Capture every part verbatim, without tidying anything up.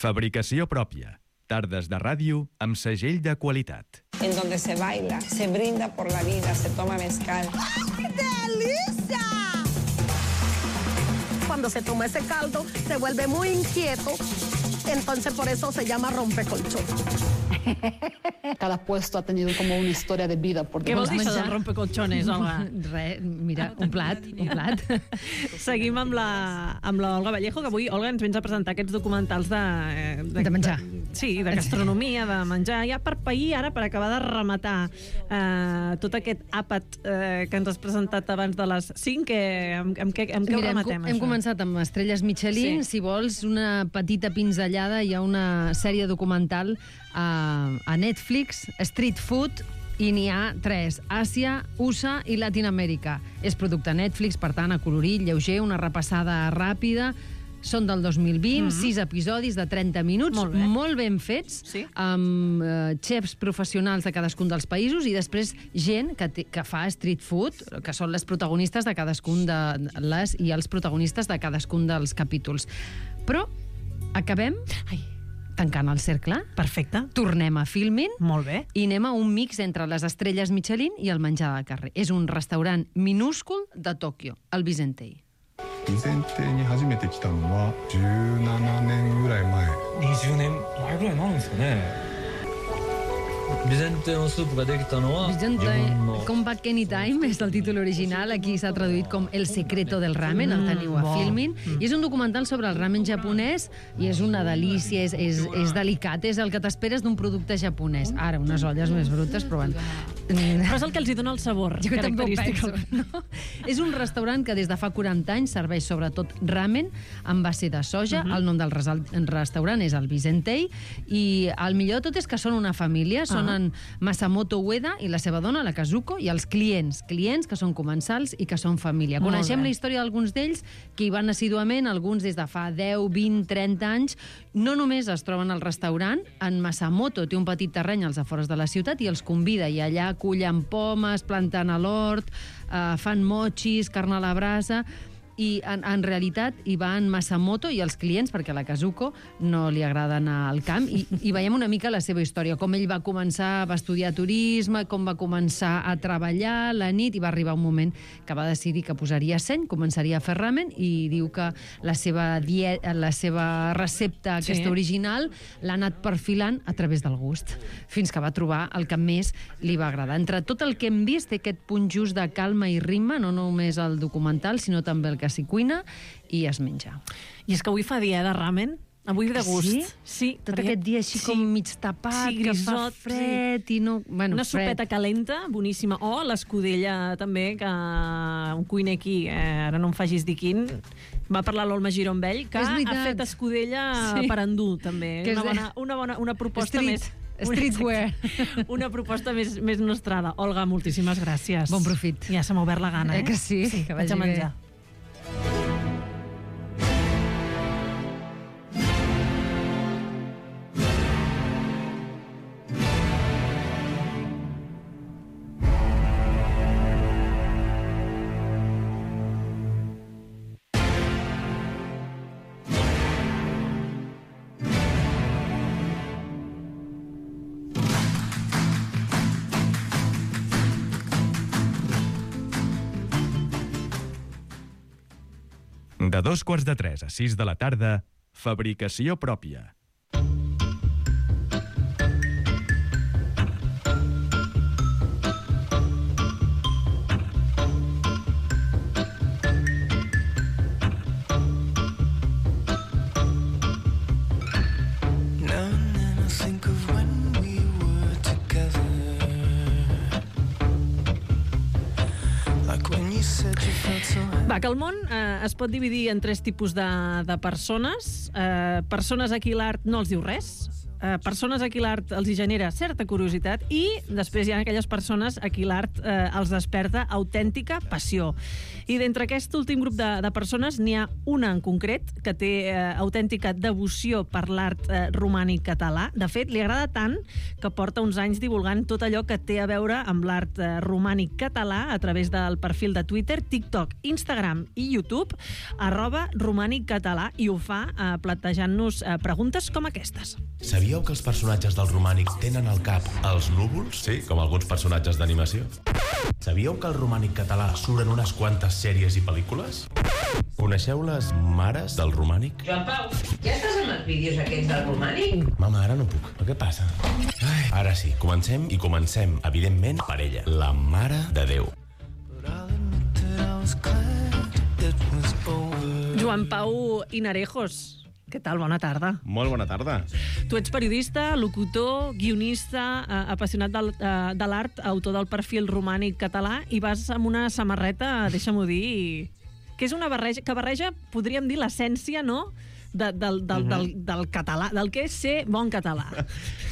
Fabricació pròpia. Tardes de ràdio amb segell de qualitat. En donde se baila, se brinda por la vida, se toma mezcal. ¡Ay, delicia! Cuando se toma ese caldo, se vuelve muy inquieto. Entonces por eso se llama rompecolchón. Cada puesto ha tenido como una historia de vida. Què vols dir això del rompecolchones, Olga? Res, mira, un plat, un plat. Seguim amb la, amb la Olga Vallejo, que avui, Olga, ens vens a presentar aquests documentals de... De, de menjar. De, sí, de gastronomia, de menjar. Ja per pair, ara, per acabar de rematar eh, tot aquest àpat eh, que ens has presentat abans de les cinc, que, amb, amb, què, amb què Mira, ho rematem, hem, hem començat amb estrelles Michelin. Sí. Si vols una petita pinzellada, hi ha una sèrie documental a, a Netflix, Street Food, i n'hi ha tres: Àsia, U S A i Latinoamèrica. És producte Netflix, per tant, acolorit, lleuger, una repassada ràpida. Són del dos mil vint, mm-hmm. sis episodis de trenta minuts, molt, bé. molt ben fets, sí. amb eh, xefs professionals de cadascun dels països i després gent que, te, que fa street food, que són les protagonistes de cadascun de les i els protagonistes de cadascun dels capítols. Però acabem... Ai. Tancant el cercle. Perfecte. Tornem a Filmin. Molt bé. I anem a un mix entre les estrelles Michelin i el menjar de carrer. És un restaurant minúscul de Tòquio, el Bizentei. 備前邸に初めて来たのはじゅうななねんぐらい前。にじゅうねんまえぐらいになるんですかね。備前邸のスープができたのは自分の Come Back Anytime és el títol original, aquí s'ha traduït com El secreto del ramen, el teniu a Filmin, i és un documental sobre el ramen japonès i és una delícia, és, és, és delicat, és el que t'esperes d'un producte japonès. Ara, unes olles més brutes, però bueno. Però és el que els hi dona el sabor jo característic. Penso, no? És un restaurant que des de fa quaranta anys serveix sobretot ramen amb base de soja. Uh-huh. El nom del restaurant és el Bizentei i el millor de tot és que són una família, són uh-huh. en Masamoto Ueda i la seva dona, la Kazuko, i els clients, clients que són comensals i que són família. Molt Coneixem bé. La història d'alguns d'ells que hi van assiduament, alguns des de fa deu, vint, trenta anys. No només es troben al restaurant, en Masamoto té un petit terreny als afores de la ciutat i els convida, i allà cullen pomes, planten a l'hort, eh, fan mochis, carn a la brasa, i en, en realitat hi va en Masamoto i els clients, perquè a la Kazuko no li agrada anar al camp, i, i veiem una mica la seva història, com ell va començar, va estudiar turisme, com va començar a treballar la nit, i va arribar un moment que va decidir que posaria seny, començaria a fer ramen, i diu que la seva, diet, la seva recepta, aquesta sí. original, l'ha anat perfilant a través del gust, fins que va trobar el que més li va agradar. Entre tot el que hem vist, té aquest punt just de calma i ritme, no només el documental, sinó també el que s'hi cuina i es menja. I és que avui fa dia de ramen, avui de gust. Sí? Sí. Tot perquè... aquest dia així sí. com mig tapat, sí, grisot, que fa fred sí. i no... Bueno, una fred. sopeta calenta, boníssima. O l'escudella també, que un cuiner aquí, eh, ara no em facis dir quin, va parlar l'Olma Giró amb ell, que ha fet escudella sí. per endur, també. Una bona, una bona una proposta Street. més... Streetwear. Una proposta més, més nostrada. Olga, moltíssimes gràcies. Bon profit. Ja se m'ha obert la gana, eh? Eh que sí? Sí, que vaig a menjar. Bé. De dos quarts de tres a sis de la tarda, fabricació pròpia. Va, que el món eh, es pot dividir en tres tipus de, de persones. Eh, persones a qui l'art no els diu res, eh, persones a qui l'art els hi genera certa curiositat i després hi ha aquelles persones a qui l'art eh, els desperta autèntica passió. I d'entre aquest últim grup de, de persones n'hi ha una en concret que té eh, autèntica devoció per l'art eh, romànic català. De fet, li agrada tant que porta uns anys divulgant tot allò que té a veure amb l'art eh, romànic català a través del perfil de Twitter, TikTok, Instagram i YouTube, arroba romànic català, i ho fa eh, plantejant-nos eh, preguntes com aquestes. Sabíeu que els personatges del romànic tenen al cap els núvols? Sí, com alguns personatges d'animació. Sabíeu que al romànic català suren unes quantes sèries i pel·lícules? Coneixeu les mares del romànic? Joan Pau, ja estàs amb els vídeos aquests del romànic? Mama, ara no puc. Però què passa? Ai, ara sí, comencem i comencem, evidentment, per ella, la Mare de Déu. Joan Pau Inarejos, què tal? Bona tarda. Molt bona tarda. Tu ets periodista, locutor, guionista, eh, apassionat del, eh, de l'art, autor del perfil romànic català, i vas amb una samarreta, deixa-m'ho dir, que és una barreja, que barreja, podríem dir, l'essència, no?, de, del, del, del, del català, del que és ser bon català.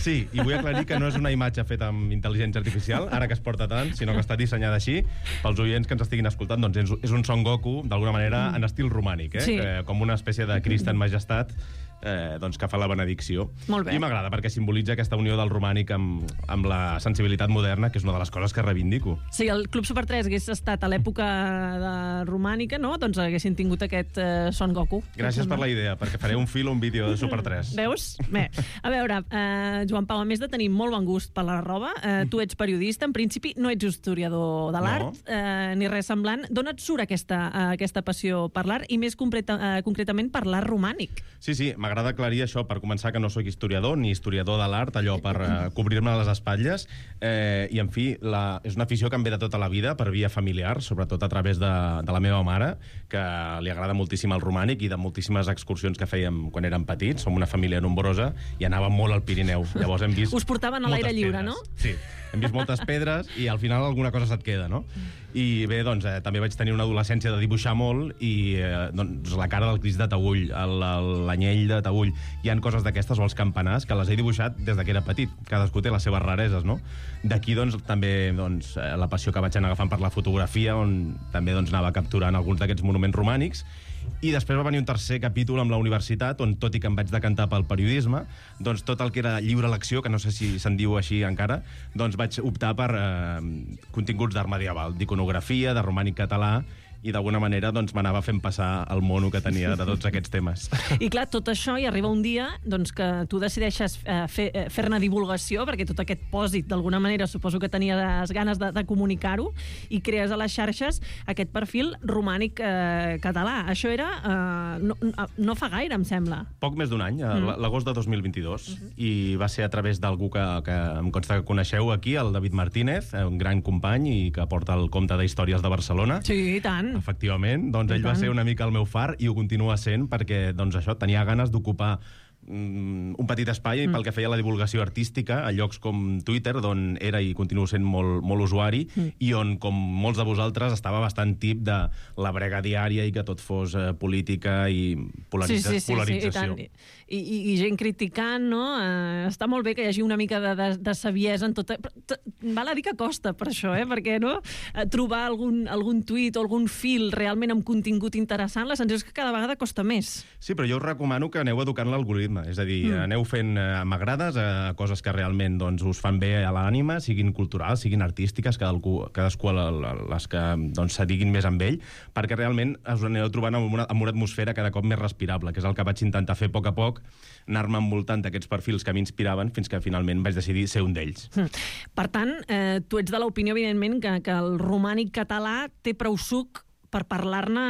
Sí, i vull aclarir que no és una imatge feta amb intel·ligència artificial, ara que es porta tant, sinó que està dissenyada així. Pels oients que ens estiguin escoltant, doncs és un Son Goku, d'alguna manera, en estil romànic, eh? Sí. Eh, com una espècie de Crist en majestat, eh, doncs que fa la benedicció. Molt bé. I m'agrada perquè simbolitza aquesta unió del romànic amb, amb la sensibilitat moderna, que és una de les coses que reivindico. Si el Club Super tres hagués estat a l'època de romànica, no?, doncs haguessin tingut aquest eh, Son Goku. Gràcies per la idea, perquè faré un fil o un vídeo de Super tres. Veus? Bé, a veure, eh, Joan Pau, a més de tenir molt bon gust per la roba, eh, tu ets periodista, en principi no ets historiador de l'art, no. eh, ni res semblant. D'on et surt aquesta, eh, aquesta passió per l'art, i més concreta, eh, concretament per l'art romànic? Sí, sí, m'agrada aclarir això, per començar, que no sóc historiador ni historiador de l'art, allò per uh, cobrir-me les espatlles, eh, i en fi, la, és una afició que em ve de tota la vida per via familiar, sobretot a través de, de la meva mare, que li agrada moltíssim el romànic i de moltíssimes excursions que fèiem quan érem petits. Som una família nombrosa i anàvem molt al Pirineu. Llavors hem vist... Us portaven a l'aire lliure, no? Sí, hem vist moltes pedres i al final alguna cosa se't queda, no? I bé, doncs, eh, també vaig tenir una adolescència de dibuixar molt i eh, doncs, la cara del Crist de Taüll, l'anyell de Taüll, hi han coses d'aquestes, o els campanars, que les he dibuixat des que era petit. Cadascú té les seves rareses, no? D'aquí, doncs, també doncs, la passió que vaig anar agafant per la fotografia, on també doncs, anava capturant alguns d'aquests monuments romànics. I després va venir un tercer capítol amb la universitat, on, tot i que em vaig decantar pel periodisme, doncs tot el que era lliure lecció, que no sé si se'n diu així encara, doncs vaig optar per eh, continguts d'art medieval, d'iconografia, de romànic català, i d'alguna manera doncs, m'anava fent passar el mono que tenia de tots aquests temes. I clar, tot això, i arriba un dia doncs, que tu decideixes eh, fer, eh, fer-ne divulgació, perquè tot aquest pòsit, d'alguna manera, suposo que tenies ganes de, de comunicar-ho, i crees a les xarxes aquest perfil romànic eh, català. Això era... Eh, no, no fa gaire, em sembla. Poc més d'un any, mm. l'agost de dos mil vint-i-dos, uh-huh. i va ser a través d'algú que, que em consta que coneixeu aquí, el David Martínez, un gran company i que porta el Compte d'Històries de Barcelona. Sí, i tant. Efectivament, doncs ell va ser una mica el meu far i ho continua sent perquè doncs això, tenia ganes d'ocupar un petit espai mm. pel que feia la divulgació artística a llocs com Twitter, d'on era i continuo sent molt, molt usuari, mm. i on, com molts de vosaltres, estava bastant tip de la brega diària i que tot fos eh, política i polaritza sí, sí, sí, polarització. Sí, i, I, i gent criticant, no? Eh, està molt bé que hi hagi una mica de, de, de saviesa en tot... Val a dir que costa per això, eh? Perquè no? Trobar algun, algun tuit o algun fil realment amb contingut interessant, la sensació és que cada vegada costa més. Sí, però jo us recomano que aneu educant l'algoritme. És a dir, mm. aneu fent eh, m'agrades a coses que realment doncs, us fan bé a l'ànima, siguin culturals, siguin artístiques, cadascú, cadascú les que doncs, se diguin més amb ell, perquè realment us aneu trobant amb una, amb una atmosfera cada cop més respirable, que és el que vaig intentar fer a poc a poc, anar-me envoltant d'aquests perfils que m'inspiraven fins que finalment vaig decidir ser un d'ells. Mm. Per tant, eh, tu ets de l'opinió, evidentment, que, que el romànic català té prou suc per parlar-ne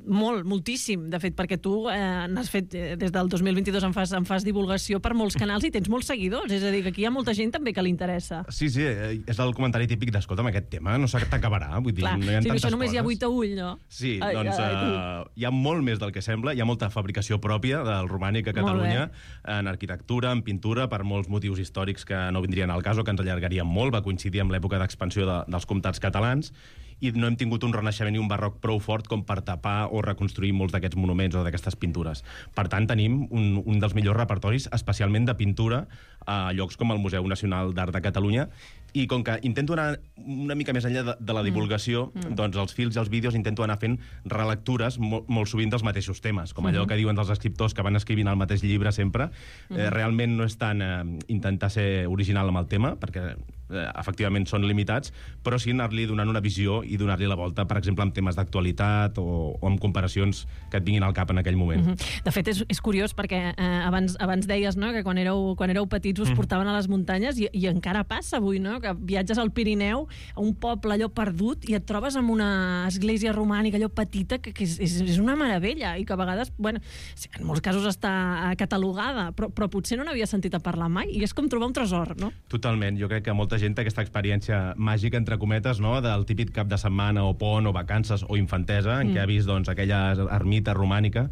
molt, moltíssim, de fet, perquè tu eh, n'has fet, eh, des del dos mil vint-i-dos en fas, en fas divulgació per molts canals i tens molts seguidors, és a dir, que aquí hi ha molta gent també que li interessa. Sí, sí, és el comentari típic d'escolta'm, aquest tema no s'acabarà, vull dir, clar, no hi ha sí, tantes això només coses. Hi ha vuit a ull, no? Sí, ai, doncs ai, uh, hi ha molt més del que sembla, hi ha molta fabricació pròpia del romànic a Catalunya, en arquitectura, en pintura, per molts motius històrics que no vindrien al cas o que ens allargarien molt, va coincidir amb l'època d'expansió de, dels comtats catalans, i no hem tingut un renaixement i un barroc prou fort com per tapar o reconstruir molts d'aquests monuments o d'aquestes pintures. Per tant, tenim un, un dels millors repertoris, especialment de pintura, a llocs com el Museu Nacional d'Art de Catalunya, i com que intento anar una mica més enllà de, de la divulgació, mm. doncs els films i els vídeos intento anar fent relectures molt, molt sovint dels mateixos temes, com allò mm-hmm. que diuen dels escriptors que van escrivint el mateix llibre sempre. Mm-hmm. Eh, realment no és tant eh, intentar ser original amb el tema, perquè eh, efectivament són limitats, però sí anar-li donant una visió i donar-li la volta, per exemple, amb temes d'actualitat o, o amb comparacions que et vinguin al cap en aquell moment. Mm-hmm. De fet, és, és curiós perquè eh, abans, abans deies, no?, que quan éreu, quan éreu petits us mm-hmm. portaven a les muntanyes i, i encara passa avui, no?, que viatges al Pirineu, a un poble allò perdut, i et trobes amb una església romànica allò petita, que, que és, és, és una meravella, i que a vegades, bueno, en molts casos està catalogada, però, però potser no n'havia sentit a parlar mai, i és com trobar un tresor, no? Totalment. Jo crec que molta gent té aquesta experiència màgica, entre cometes, no?, del típic cap de setmana o pont o vacances o infantesa, en mm. què ha vist doncs, aquella ermita romànica.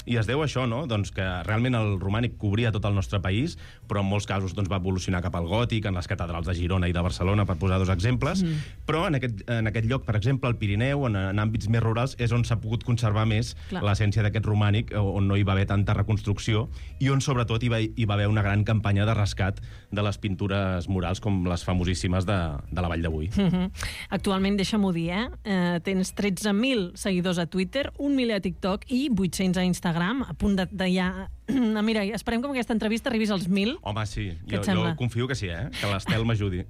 I es deu a això, no?, doncs que realment el romànic cobria tot el nostre país, però en molts casos doncs, va evolucionar cap al gòtic, en les catedrals de Girona i de Barcelona, per posar dos exemples, mm. però en aquest, en aquest lloc, per exemple, al Pirineu, en, en àmbits més rurals, és on s'ha pogut conservar més Clar. l'essència d'aquest romànic, on no hi va haver tanta reconstrucció, i on sobretot hi va, hi va haver una gran campanya de rescat de les pintures murals, com les famosíssimes de, de la Vall d'Avui. Mm-hmm. Actualment, deixa'm-ho dir, eh? eh tens tretze mil seguidors a Twitter, un miler a TikTok i vuit-cents a Instagram, a punt de, de ja... Mira, esperem que amb aquesta entrevista arribis als mil. Home, sí. Jo, jo confio que sí, eh? Que l'Estel m'ajudi.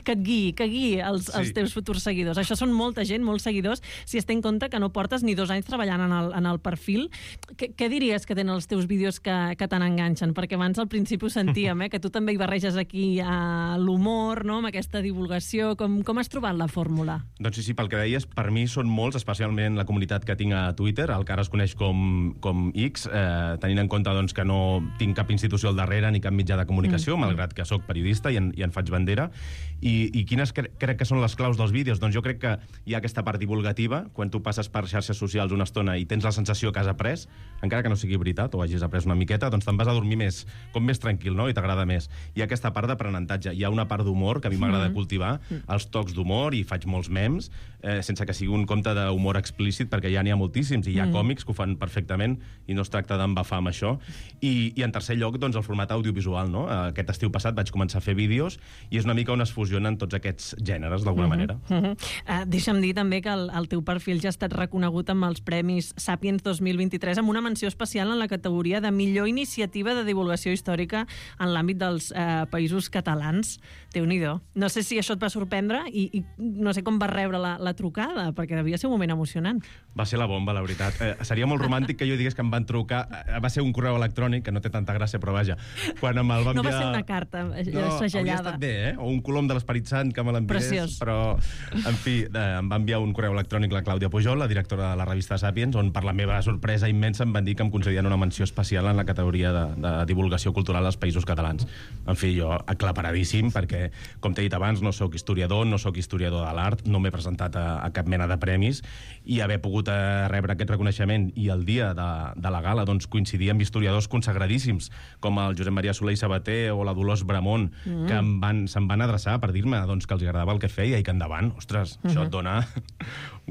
Que et guiï, que guiï els, sí. els teus futurs seguidors. Això són molta gent, molts seguidors, si es té en compte que no portes ni dos anys treballant en el, en el perfil. Què, què diries que tenen els teus vídeos que, que te n'enganxen? Perquè abans al principi ho sentíem, eh? Que tu també hi barreges aquí a l'humor, no?, amb aquesta divulgació. Com, com has trobat la fórmula? Doncs sí, sí, pel que deies, per mi són molts, especialment la comunitat que tinc a Twitter, el que ara es coneix com, com X, eh, tenint en compte doncs, que no tinc cap institució al darrere ni cap mitjà de comunicació, mm. malgrat que sóc periodista i en, i en faig bandera. I, i quines cre crec que són les claus dels vídeos? Doncs jo crec que hi ha aquesta part divulgativa, quan tu passes per xarxes socials una estona i tens la sensació que has après, encara que no sigui veritat o hagis après una miqueta, doncs te'n vas a dormir més, com més tranquil, no?, i t'agrada més. Hi ha aquesta part d'aprenentatge, hi ha una part d'humor que a mi m'agrada mm. cultivar, els tocs d'humor, i faig molts memes, eh, sense que sigui un compte d'humor explícit, perquè ja n'hi ha moltíssims, i hi ha mm. còmics que ho fan perfectament, i no es tracta d'embafar amb això. I, i en tercer lloc, doncs, el format audiovisual, no? Aquest estiu passat vaig començar a fer vídeos i és una mica on es fusionen tots aquests gèneres, d'alguna mm-hmm. manera. Mm-hmm. Uh, deixa'm dir també que el, el teu perfil ja ha estat reconegut amb els Premis Sàpiens dos mil vint-i-tres amb una menció especial en la categoria de millor iniciativa de divulgació històrica en l'àmbit dels uh, països catalans. Déu-n'hi-do. No sé si això et va sorprendre i, i no sé com vas rebre la, la trucada, perquè devia ser un moment emocionant. Va ser la bomba, la veritat. Eh, seria molt romàntic que jo digués que em van trucar. Eh, va ser un correu electrònic, que no té tanta gràcia, però vaja. Quan em el va enviar... No va ser una carta no, segellada. Hauria estat bé, eh? O un colom de l'Esperit Sant que me l'enviés. Preciós. Però, en fi, eh, em va enviar un correu electrònic la Clàudia Pujol, la directora de la revista Sàpiens, on per la meva sorpresa immensa em van dir que em concedien una menció especial en la categoria de, de divulgació cultural als països catalans. En fi, jo aclaparadíssim, perquè, com t'he dit abans, no sóc historiador, no sóc historiador de l'art, no m'he presentat a, a cap mena de premis, i haver pogut eh, rebre aquest reconeixement i el dia de, de la gala doncs, coincidir amb historiadors consagradíssims, com el Josep Maria Soler i Sabater o la Dolors Bramont, mm. que em van, se'm van adreçar per dir-me doncs, que els agradava el que feia i que endavant, ostres, mm-hmm. això et dona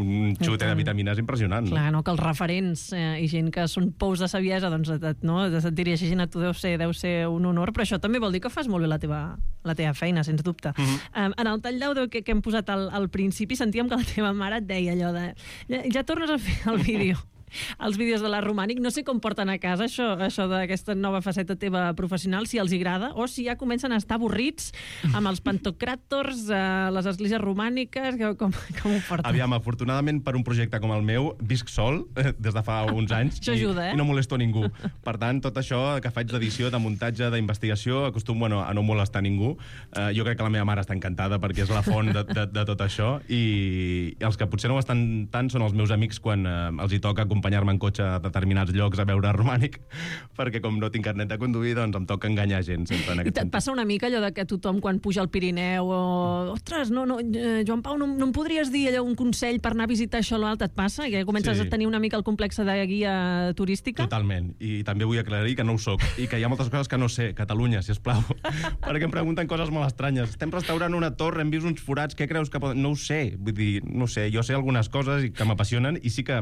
un xute de vitamines impressionant. Clar, no? Que els referents eh, i gent que són pous de saviesa doncs, et, no? et dirigeixin a tu deu ser, deu ser un honor, però això també vol dir que fas molt bé la teva, la teva feina, sens dubte. Mm-hmm. um, en el tall d'àudio que, que hem posat al, al principi sentíem que la teva mare et deia allò de ja, ja tornes a fer el vídeo els vídeos de la Romànic, no sé com porten a casa això, això d'aquesta nova faceta teva professional, si els agrada o si ja comencen a estar avorrits amb els pantocràtors, eh, les esglésies romàniques, com, com ho porten? Aviam, afortunadament per un projecte com el meu visc sol eh, des de fa uns anys això ajuda, eh? i no molesto ningú. Per tant, tot això que faig d'edició, de muntatge, d'investigació, acostumo bueno, a no molestar ningú. Eh, jo crec que la meva mare està encantada perquè és la font de, de, de tot això, i els que potser no ho estan tant són els meus amics quan eh, els hi toca compartir acompanyar-me en cotxe a determinats llocs a veure romànic, perquè com no tinc carnet de conduir, doncs em toca enganyar gent sempre en I aquest et sentit. passa una mica allò de que tothom quan puja al Pirineu o... Ostres, no, no, eh, Joan Pau, no, no em podries dir allò un consell per anar a visitar això o l'altre? Et passa? Que comences Sí. a tenir una mica el complex de guia turística? Totalment. I també vull aclarir que no ho soc i que hi ha moltes coses que no sé. Catalunya, sisplau. Perquè em pregunten coses molt estranyes. Estem restaurant una torre, hem vist uns forats, què creus que poden... No ho sé. Vull dir, no ho sé. Jo sé algunes coses i que m'apassionen i sí que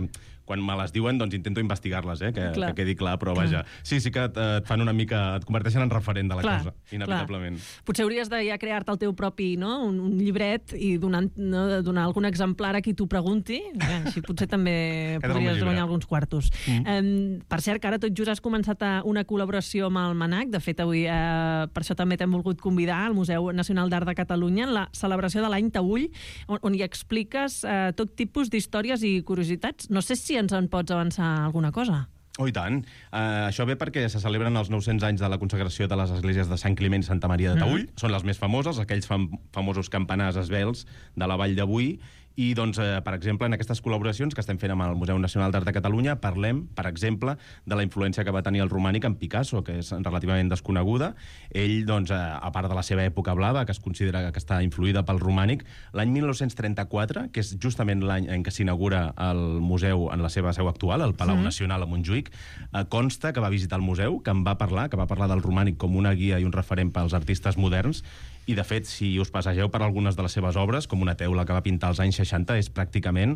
quan me les diuen, doncs intento investigar-les, eh? que, que quedi clar, però vaja. Sí, sí que et, et fan una mica... et converteixen en referent de la clar, cosa, inevitablement. Clar. Potser hauries de ja crear-te el teu propi, no? un, un llibret i donar, no? donar algun exemplar a qui t'ho pregunti. Eh, així potser també podries guanyar alguns quartos. Mm. Eh, per cert, que ara tot just has començat a una col·laboració amb el MANAC. De fet, avui eh, per això també t'hem volgut convidar al Museu Nacional d'Art de Catalunya en la celebració de l'any Taüll, on, on hi expliques eh, tot tipus d'històries i curiositats. No sé si ens en pots avançar alguna cosa. Oh, i tant. Uh, això ve perquè se celebren els nou-cents anys de la consagració de les esglésies de Sant Climent i Santa Maria de Taüll. Mm. Són les més famoses, aquells fam famosos campanars esvelts de la Vall d'Avui. I, doncs, eh, per exemple, en aquestes col·laboracions que estem fent amb el Museu Nacional d'Art de Catalunya parlem, per exemple, de la influència que va tenir el romànic en Picasso, que és relativament desconeguda. Ell, doncs, eh, a part de la seva època blava, que es considera que està influïda pel romànic, l'any mil nou-cents trenta-quatre, que és justament l'any en què s'inaugura el museu en la seva seu actual, el Palau mm. Nacional a Montjuïc, eh, consta que va visitar el museu, que en va parlar, que va parlar del romànic com una guia i un referent pels artistes moderns. I, de fet, si us passegeu per algunes de les seves obres, com una teula que va pintar als anys seixanta, és pràcticament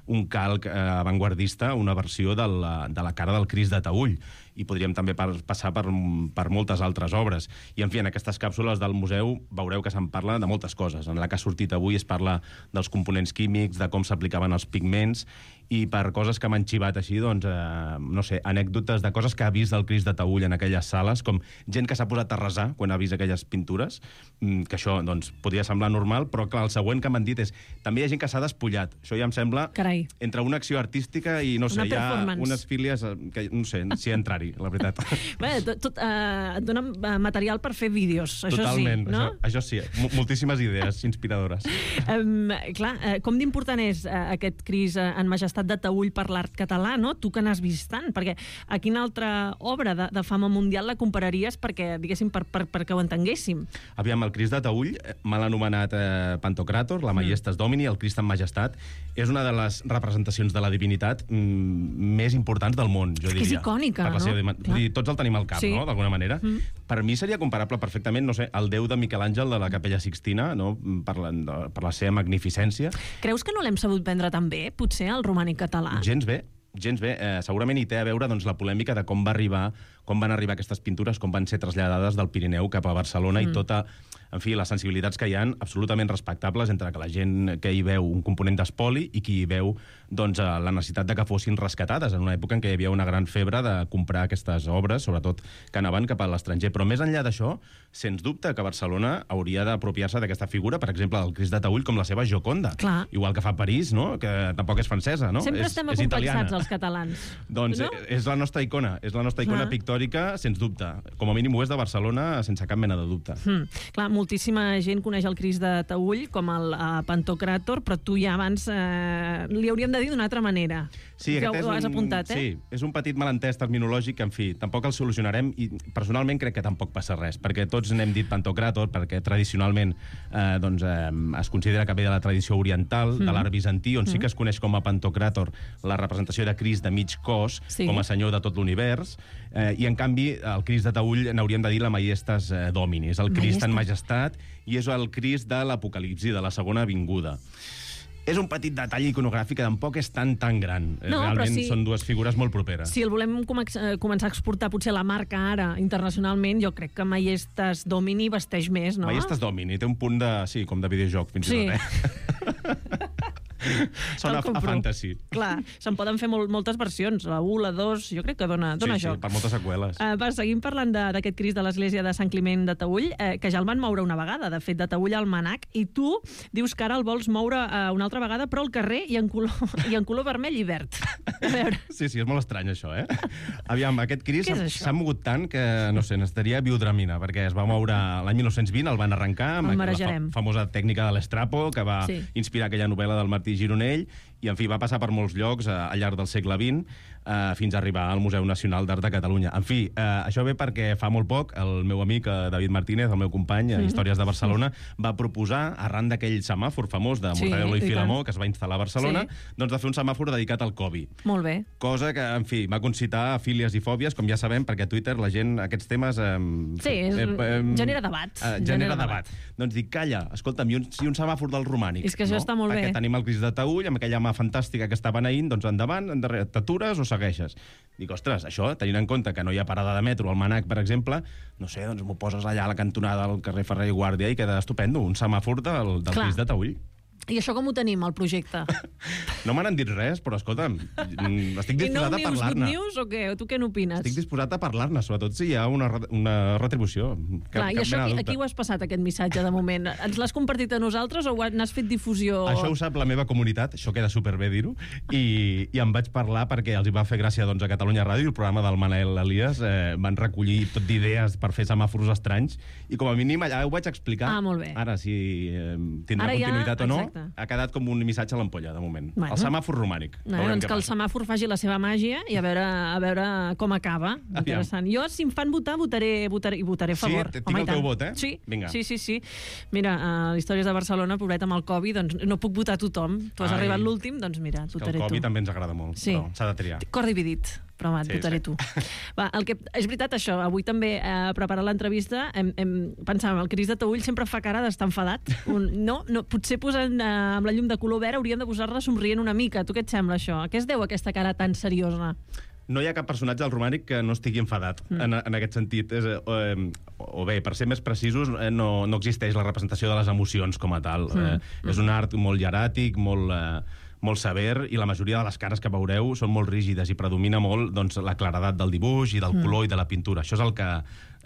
un calc eh, avantguardista, una versió de la, de la cara del Crist de Taüll. I podríem també per, passar per, per moltes altres obres. I, en fi, en aquestes càpsules del museu veureu que se'n parla de moltes coses. En la que ha sortit avui es parla dels components químics, de com s'aplicaven els pigments, i per coses que m'han xivat així, doncs, eh, no sé, anècdotes de coses que ha vist el Crist de Taüll en aquelles sales, com gent que s'ha posat a resar quan ha vist aquelles pintures, que això, doncs, podria semblar normal, però, clar, el següent que m'han dit és també hi ha gent que s'ha despullat. Això ja em sembla... Carai. Entre una acció artística i, no sé, hi ha unes fílies que, no sé, si entrar-hi, la veritat. Bé, tot, tot, eh, et dona material per fer vídeos, això Totalment, sí, no? Això, això sí, moltíssimes idees inspiradores. Um, clar, eh, com d'important és eh, aquest Crist eh, en majestat de Taüll per l'art català, no? Tu que n'has vist tant, perquè a quina altra obra de, de fama mundial la compararies perquè, diguéssim, per, per, perquè ho entenguéssim? Aviam, el Crist de Taüll, mal anomenat eh, Pantocràtor, la Maiestas Domini, el Crist en majestat, és una de les representacions de la divinitat mm, més importants del món, jo és diria. Que és icònica, per la seva no? Dir, tots el tenim al cap, sí. no?, d'alguna manera. Mm. Per mi seria comparable perfectament, no sé, al déu de Miquel Àngel de la Capella Sixtina, no?, per la, per la seva magnificència. Creus que no l'hem sabut vendre tan bé, potser, el romànic català? Gens bé. Gens bé. Eh, segurament hi té a veure, doncs, la polèmica de com va arribar, com van arribar aquestes pintures, com van ser traslladades del Pirineu cap a Barcelona mm. i tota, en fi, les sensibilitats que hi ha absolutament respectables entre que la gent que hi veu un component d'espoli i qui hi veu, doncs, la necessitat de que fossin rescatades en una època en què hi havia una gran febre de comprar aquestes obres, sobretot que anaven cap a l'estranger. Però més enllà d'això, sens dubte que Barcelona hauria d'apropiar-se d'aquesta figura, per exemple, del Crist de Taüll, com la seva Gioconda. Clar. Igual que fa París, no?, que tampoc és francesa, no? Sempre és, estem és acomplexats, italiana. els catalans. Doncs no? és la nostra icona, és la nostra icona Clar. pictòrica, sens dubte. Com a mínim ho és de Barcelona, sense cap mena de dubte. Hmm. Clar, moltíssima gent coneix el Crist de Taüll com el uh, Pantocràtor, però tu ja abans eh, li hauríem de dir d'una altra manera. Sí, que aquest ho és has un, apuntat, eh? Sí, és un petit malentès terminològic que, en fi, tampoc el solucionarem i personalment crec que tampoc passa res, perquè tots n'hem dit Pantocràtor, perquè tradicionalment eh, doncs, eh, es considera que ve de la tradició oriental, mm. de l'art bizantí, on mm. sí que es coneix com a Pantocràtor la representació de Crist de mig cos, sí. com a senyor de tot l'univers, eh, i en canvi el Crist de Taüll n'hauríem de dir la Maiestas eh, Domini, és el Crist Maiestas. en majestat i és el Crist de l'Apocalipsi, de la segona vinguda. És un petit detall iconogràfic que tampoc és tan, tan gran. No, realment si, són dues figures molt properes. Si el volem començar a exportar potser la marca ara internacionalment, jo crec que Maiestas Domini vesteix més, no? Maiestas Domini, té un punt de... Sí, com de videojoc, fins sí. i tot, eh? Sona a fantasy. Clar, se'n poden fer mol moltes versions, la u, la dos, jo crec que dona, dona sí, joc. Sí, per moltes seqüeles. Uh, va, seguim parlant d'aquest Crist de l'església de Sant Climent de Taüll, eh, que ja el van moure una vegada, de fet, de Taüll al MANAC, i tu dius que ara el vols moure uh, una altra vegada, però al carrer i en color, i en color vermell i verd. A veure. Sí, sí, és molt estrany, això, eh? Aviam, aquest Crist s'ha mogut tant que, no sé, necessitaria biodramina, perquè es va moure l'any mil nou-cents vint, el van arrencar amb la fa famosa tècnica de l'estrapo, que va sí. inspirar aquella novel·la del Martí Gironell, I, en fi, va passar per molts llocs uh, al llarg del segle vint, uh, fins a arribar al Museu Nacional d'Art de Catalunya. En fi, uh, això ve perquè fa molt poc el meu amic uh, David Martínez, el meu company a mm. Històries de Barcelona, va proposar, arran d'aquell semàfor famós de Mortadelo sí, i Filemó, que es va instal·lar a Barcelona, sí. doncs de fer un semàfor dedicat al Covid. Molt bé. Cosa que, en fi, va concitar fílies i fòbies, com ja sabem, perquè a Twitter la gent, aquests temes... Eh, sí, és, eh, eh, genera debat. Eh, genera, genera debat. debat. Doncs dic, calla, escolta'm, i un, si un semàfor del romànic... És que això no? està molt perquè bé. Perquè tenim el Crist de Taüll, amb aquella mà fantàstica que està beneint, doncs endavant, endarrere, t'atures o segueixes? Dic, ostres, això, tenint en compte que no hi ha parada de metro al Manac, per exemple, no sé, doncs m'ho poses allà a la cantonada del carrer Ferrer i Guàrdia i queda estupendo, un semàfor del, del Crist de Taüll. I això com ho tenim, el projecte? No m'han dit res, però escolta'm, estic disposat a parlar-ne. I no news, good news o què? Tu què n'opines? Estic disposat a parlar-ne, sobretot si hi ha una, una retribució. Cap, Clar, i això aquí, aquí ho has passat, aquest missatge, de moment? Ens l'has compartit a nosaltres o n'has fet difusió? Això ho sap la meva comunitat, això queda superbé dir-ho, i, i em vaig parlar perquè els hi va fer gràcia doncs, a Catalunya Ràdio, el programa del Manel Elias, eh, van recollir tot d'idees per fer semàfors estranys, i com a mínim allà ho vaig explicar. Ah, molt bé. Ara, si eh, tindrà Ara continuïtat ja, o no, exacte. Ha quedat com un missatge a l'ampolla, de moment. Bueno. El semàfor romànic. No, doncs que el semàfor faci la seva màgia i a veure, a veure com acaba. Interessant. Jo, si em fan votar, votaré, votaré, i votaré a favor. Sí, tinc el teu vot, eh? Sí, Vinga. sí, sí, sí. Mira, a Històries de Barcelona, pobret amb el Covid, doncs no puc votar a tothom. Tu has Ai. arribat l'últim, doncs mira, et votaré tu. El Covid també ens agrada molt, sí. però s'ha de triar. Cor dividit, però va, et sí, votaré sí. tu. Va, el que, és veritat això, avui també eh, preparant l'entrevista hem, hem, pensàvem, el Crist de Taüll sempre fa cara d'estar enfadat. Un, no, no, potser posant eh, amb la llum de color verd hauríem de posar-la somrient una mica. Tu què et sembla això? A què es deu aquesta cara tan seriosa? No hi ha cap personatge del romànic que no estigui enfadat, mm. en, en aquest sentit. És, eh, o bé, per ser més precisos, eh, no, no existeix la representació de les emocions com a tal. Mm. Eh, mm. És un art molt hieràtic, molt... Eh, molt sever, i la majoria de les cares que veureu són molt rígides i predomina molt doncs, la claredat del dibuix i del color mm. i de la pintura. Això és el que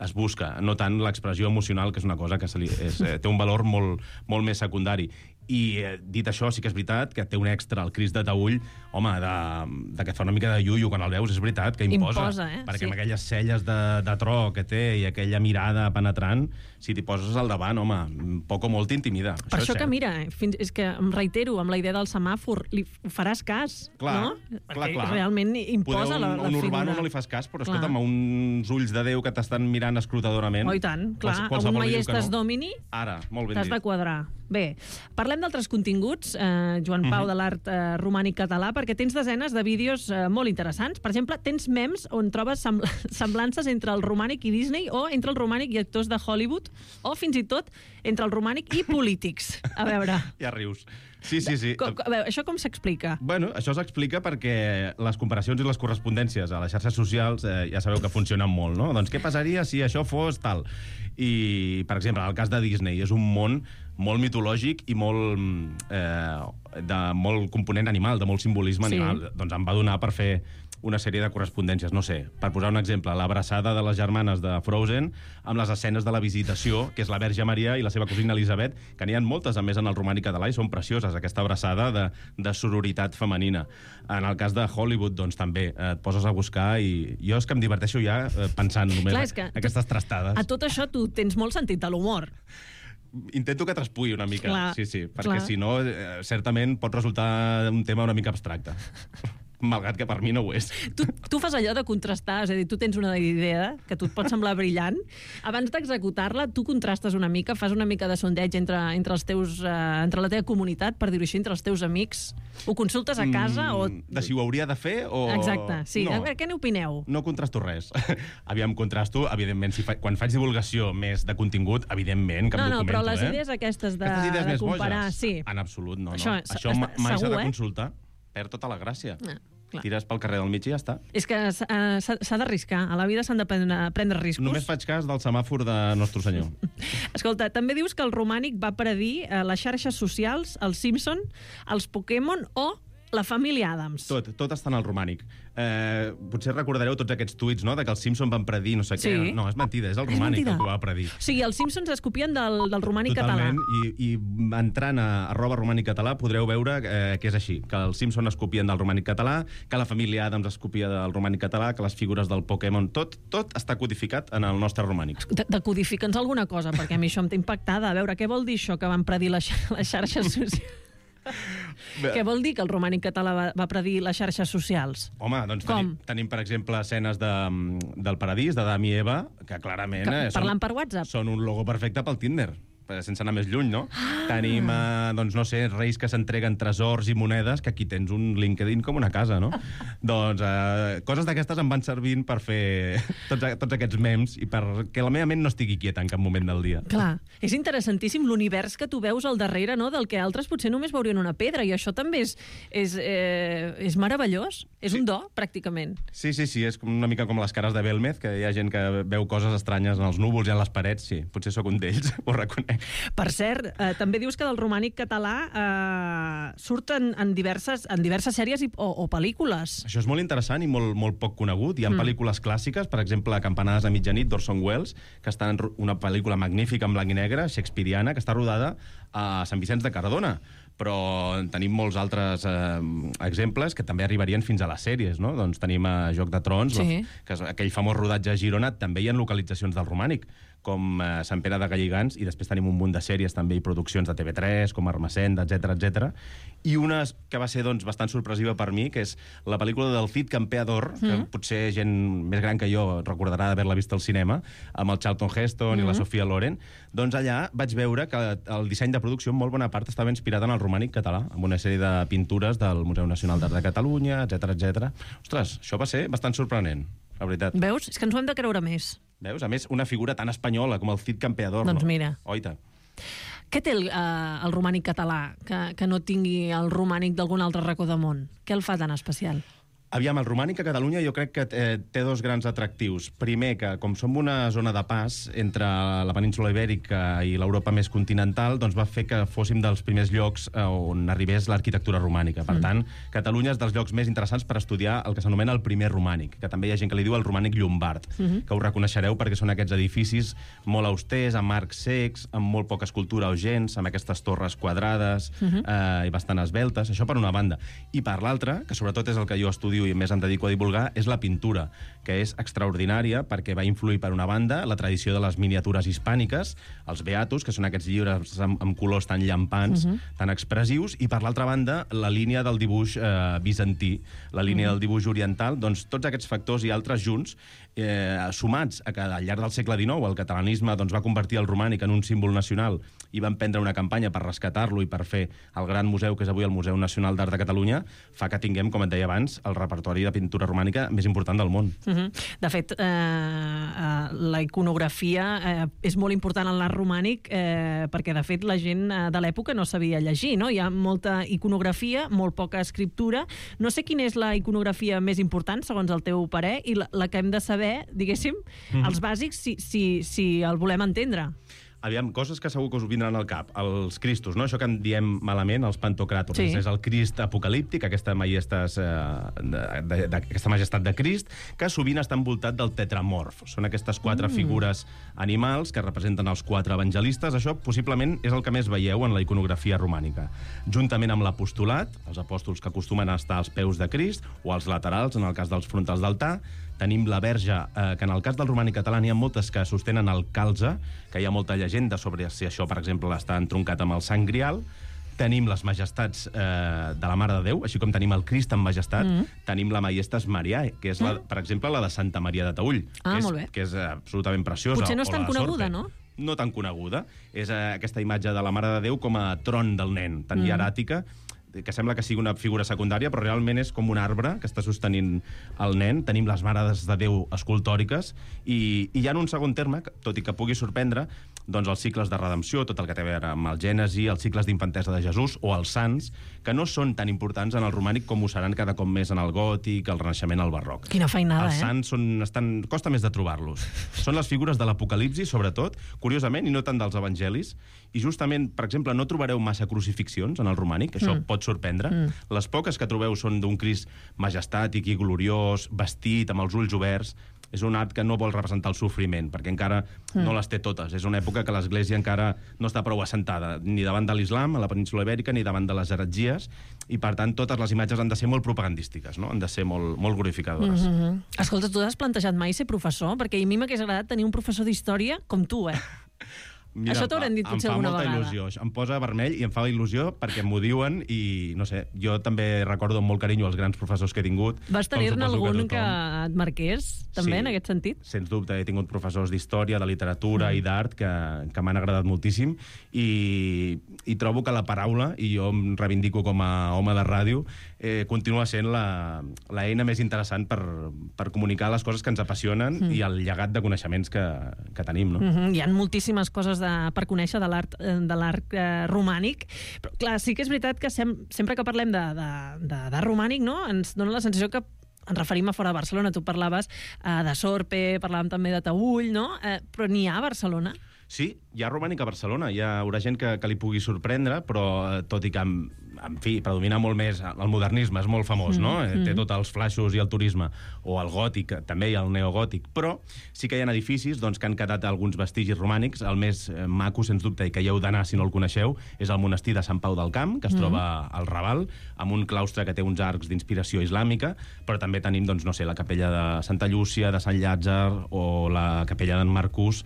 es busca, no tant l'expressió emocional, que és una cosa que se li, és, eh, té un valor molt, molt més secundari. I eh, dit això, sí que és veritat que té un extra, el Crist de Taüll, home, de, de que et fa una mica de iuio quan el veus, és veritat, que imposa. Imposa, eh? Perquè sí. amb aquelles celles de, de tro que té i aquella mirada penetrant, si t'hi poses al davant, home, poc o molt t'intimida. Per això, això que, mira, fins, és que em reitero, amb la idea del semàfor, li faràs cas, clar, no? Clar, clar. Realment imposa Poder, un, la, la un figura. urbano no li fas cas, però escolta'm, a uns ulls de Déu que t'estan mirant escrutadorament... Oh, i tant, clar, a un Maiestas Domini ara, molt ben t'has dit. de quadrar. Bé, parlem d'altres continguts, eh, Joan Pau, uh-huh. de l'art eh, romànic català, perquè tens desenes de vídeos eh, molt interessants. Per exemple, tens memes on trobes sembl semblances entre el romànic i Disney, o entre el romànic i actors de Hollywood, o fins i tot entre el romànic i polítics. A veure... Ja rius. Sí, sí, sí. Com, a veure, això com s'explica? Bueno, això s'explica perquè les comparacions i les correspondències a les xarxes socials eh, ja sabeu que funcionen molt, no? Doncs què passaria si això fos tal? I, per exemple, en el cas de Disney, és un món molt mitològic i molt, eh, de molt component animal, de molt simbolisme sí. animal. Doncs em va donar per fer una sèrie de correspondències, no sé, per posar un exemple, l'abraçada de les germanes de Frozen amb les escenes de la visitació, que és la Verge Maria i la seva cosina Elisabet, que n'hi ha moltes, a més, en el romànic català, i són precioses, aquesta abraçada de, de sororitat femenina. En el cas de Hollywood, doncs, també eh, et poses a buscar, i jo és que em diverteixo ja eh, pensant només Clar, que aquestes trastades. A tot això tu tens molt sentit de l'humor. Intento que traspui una mica, clar, sí, sí, perquè clar. si no, eh, certament pot resultar un tema una mica abstracte. Malgrat que per mi no ho és. Tu, tu fas allò de contrastar, és a dir, tu tens una idea que tu et pot semblar brillant, abans d'executar-la tu contrastes una mica, fas una mica de sondeig entre, entre, els teus, uh, entre la teva comunitat, per dir-ho així, entre els teus amics, ho consultes a casa mm, o... De si ho hauria de fer o... Exacte, sí. No, què n'opineu? No contrasto res. Aviam, contrasto, evidentment, si fa... quan faig divulgació més de contingut, evidentment que em no, documento, no, però les eh? idees aquestes de, aquestes idees de més comparar... boges? Sí. En absolut, no. no. Això, Això està, mai s'ha de eh? consultar. Perd tota la gràcia. Ah, clar. Tires pel carrer del mig i ja està. És que s'ha d'arriscar. A la vida s'han de prendre, prendre riscos. Només faig cas del semàfor de Nostre Senyor. Escolta, també dius que el romànic va predir eh, les xarxes socials, els Simpson, els Pokémon o la família Adams. Tot, tot està en el romànic. Eh, potser recordareu tots aquests tuits, no?, de que els Simpson van predir no sé sí. què. No, és mentida, és el romànic el que va predir. O sigui, els Simpsons es copien del, del romànic Totalment, català. I, i entrant a arroba romànic català podreu veure eh, que és així, que els Simpson es copien del romànic català, que la família Adams es copia del romànic català, que les figures del Pokémon, tot, tot està codificat en el nostre romànic. De, de codifica'ns alguna cosa, perquè a mi això em té impactada. A veure, què vol dir això que van predir les, les xarxes socials? Què vol dir que el romànic català va, va predir les xarxes socials? Home, doncs tenim, tenim, per exemple, escenes de, del Paradís, d'Adam i Eva, que clarament... Que, eh, parlant són, per WhatsApp. Són un logo perfecte pel Tinder, sense anar més lluny, no? Ah. Tenim, eh, doncs, no sé, reis que s'entreguen tresors i monedes, que aquí tens un LinkedIn com una casa, no? Doncs eh, coses d'aquestes em van servint per fer tots, tots aquests memes i perquè la meva ment no estigui quieta en cap moment del dia. Clar, és interessantíssim l'univers que tu veus al darrere, no?, del que altres potser només veurien una pedra, i això també és, és, eh, és meravellós. És sí. un do, pràcticament. Sí, sí, sí, és una mica com les cares de Belmez, que hi ha gent que veu coses estranyes en els núvols i en les parets. Sí, potser sóc un d'ells, ho reconec. Per cert, eh, també dius que del romànic català eh, surten en diverses, en diverses sèries i, o, o pel·lícules. Això és molt interessant i molt, molt poc conegut. Hi ha mm. pel·lícules clàssiques, per exemple, Campanades a mitjanit, d'Orson Welles, que està en una pel·lícula magnífica en blanc i negre, shakespeariana, que està rodada a Sant Vicenç de Cardona. Però tenim molts altres eh, exemples que també arribarien fins a les sèries, no? Doncs tenim a Joc de Trons, sí. que és aquell famós rodatge a Girona, també hi ha localitzacions del romànic, com eh, Sant Pere de Galligants, i després tenim un munt de sèries també i produccions de T V tres, com Armacenda, etcètera, etcètera. I una que va ser doncs, bastant sorpresiva per mi, que és la pel·lícula del Cid Campeador, mm. que potser gent més gran que jo recordarà d'haver-la vist al cinema, amb el Charlton Heston mm. i la Sofia Loren. Doncs allà vaig veure que el disseny de producció en molt bona part estava inspirat en el romànic català, amb una sèrie de pintures del Museu Nacional d'Art de Catalunya, etcètera, etcètera. Ostres, això va ser bastant sorprenent, la veritat. Veus? És que ens ho hem de creure més. Veus? A més, una figura tan espanyola com el Cid Campeador. Doncs no? mira. Oita. Què té el, eh, el romànic català que, que no tingui el romànic d'algun altre racó del món? Què el fa tan especial? Aviam, el romànic a Catalunya jo crec que eh, té dos grans atractius. Primer, que com som una zona de pas entre la península ibèrica i l'Europa més continental, doncs va fer que fóssim dels primers llocs eh, on arribés l'arquitectura romànica. Per mm. tant, Catalunya és dels llocs més interessants per estudiar el que s'anomena el primer romànic, que també hi ha gent que li diu el romànic llombard, mm-hmm. que ho reconeixereu perquè són aquests edificis molt austers, amb arcs cecs, amb molt poca escultura o gens, amb aquestes torres quadrades mm-hmm. eh, i bastant esveltes. Això per una banda. I per l'altra, que sobretot és el que jo estudio i més em dedico a divulgar, és la pintura, que és extraordinària perquè va influir, per una banda, la tradició de les miniatures hispàniques, els beatos, que són aquests llibres amb, amb colors tan llampants, uh-huh. tan expressius, i per l'altra banda, la línia del dibuix eh, bizantí, la línia uh-huh. del dibuix oriental. Doncs tots aquests factors i altres junts, eh, sumats a que al llarg del segle dinou el catalanisme doncs, va convertir el romànic en un símbol nacional i van prendre una campanya per rescatar-lo i per fer el gran museu que és avui el Museu Nacional d'Art de Catalunya, fa que tinguem, com et deia abans, el repertori de pintura romànica més important del món. Uh-huh. De fet, eh, eh, la iconografia eh, és molt important en l'art romànic eh, perquè, de fet, la gent eh, de l'època no sabia llegir, no? Hi ha molta iconografia, molt poca escriptura. No sé quina és la iconografia més important, segons el teu parer, i la, la que hem de saber, diguéssim, uh-huh. els bàsics, si, si, si el volem entendre. Aviam, coses que segur que us vindran al cap. Els Cristos, no? Això que en diem malament, els pantocràtors. Sí. És el Crist apocalíptic, aquesta majestat, eh, de, de, de, aquesta majestat de Crist, que sovint està envoltat del tetramorf. Són aquestes quatre mm. figures animals que representen els quatre evangelistes. Això possiblement és el que més veieu en la iconografia romànica. Juntament amb l'apostolat, els apòstols que acostumen a estar als peus de Crist, o als laterals, en el cas dels frontals d'altar. Tenim la verge, eh, que en el cas del romànic català n'hi ha moltes que sostenen el calze, que hi ha molta llegenda sobre si això, per exemple, està entroncat amb el Sant Grial. Tenim les majestats eh, de la Mare de Déu, així com tenim el Crist en majestat, mm. tenim la Majestas Mariae, que és, la, per exemple, la de Santa Maria de Taüll, ah, que, és, que és absolutament preciosa. Potser no és tan coneguda, no? No tan coneguda. És eh, aquesta imatge de la Mare de Déu com a tron del nen, tan mm. hieràtica, que sembla que sigui una figura secundària, però realment és com un arbre que està sostenint el nen. Tenim les mares de Déu escultòriques i, i hi ha un segon terme, tot i que pugui sorprendre, doncs els cicles de redempció, tot el que té a veure amb el Gènesi, els cicles d'infantesa de Jesús o els sants, que no són tan importants en el romànic com ho seran cada cop més en el gòtic, el Renaixement, el barroc. Quina feinada, els eh? Els sants són, estan, costa més de trobar-los. Són les figures de l'Apocalipsi, sobretot, curiosament, i no tant dels evangelis, i justament, per exemple, no trobareu massa crucifixions en el romànic, això mm. pot sorprendre. Mm. Les poques que trobeu són d'un Crist majestàtic i gloriós, vestit, amb els ulls oberts. És un art que no vol representar el sofriment, perquè encara mm. no les té totes. És una època que l'Església encara no està prou assentada, ni davant de l'islam, a la península ibèrica, ni davant de les heretgies, i per tant totes les imatges han de ser molt propagandístiques, no? Han de ser molt, molt glorificadores. Mm-hmm. Escolta, tu has plantejat mai ser professor? Perquè a mi m'hagués agradat tenir un professor d'història com tu, eh? Mira, Això t'haurem dit potser alguna vegada. Em fa molta il·lusió. Em posa vermell i em fa il·lusió perquè m'ho diuen i, no sé, jo també recordo amb molt carinyo els grans professors que he tingut. Vas tenir-ne algun que, que et marqués, també, sí, en aquest sentit? Sens dubte. He tingut professors d'història, de literatura mm. i d'art que, que m'han agradat moltíssim i, i trobo que la paraula, i jo em reivindico com a home de ràdio, eh, continua sent la, la eina més interessant per, per comunicar les coses que ens apassionen mm. i el llegat de coneixements que, que tenim. No? Mm-hmm. Hi ha moltíssimes coses de, per conèixer de l'art de l'art eh, romànic, però clar, sí que és veritat que sem, sempre que parlem de, de, de, de romànic, no? Ens dona la sensació que ens referim a fora de Barcelona. Tu parlaves eh, de Sorpe, parlàvem també de Taüll, no? Eh, però n'hi ha a Barcelona? Sí, hi ha romànic a Barcelona. Hi haurà gent que, que li pugui sorprendre, però eh, tot i que, en, en fi, predomina molt més el modernisme, és molt famós, mm, no? Mm. Té tots els flaixos i el turisme, o el gòtic, també hi ha el neogòtic, però sí que hi ha edificis doncs, que han quedat alguns vestigis romànics. El més eh, maco, sens dubte, i que hi heu d'anar si no el coneixeu, és el monestir de Sant Pau del Camp, que es mm. troba al Raval, amb un claustre que té uns arcs d'inspiració islàmica, però també tenim, doncs, no sé, la capella de Santa Llúcia, de Sant Llàtzer, o la capella d'en Marcús,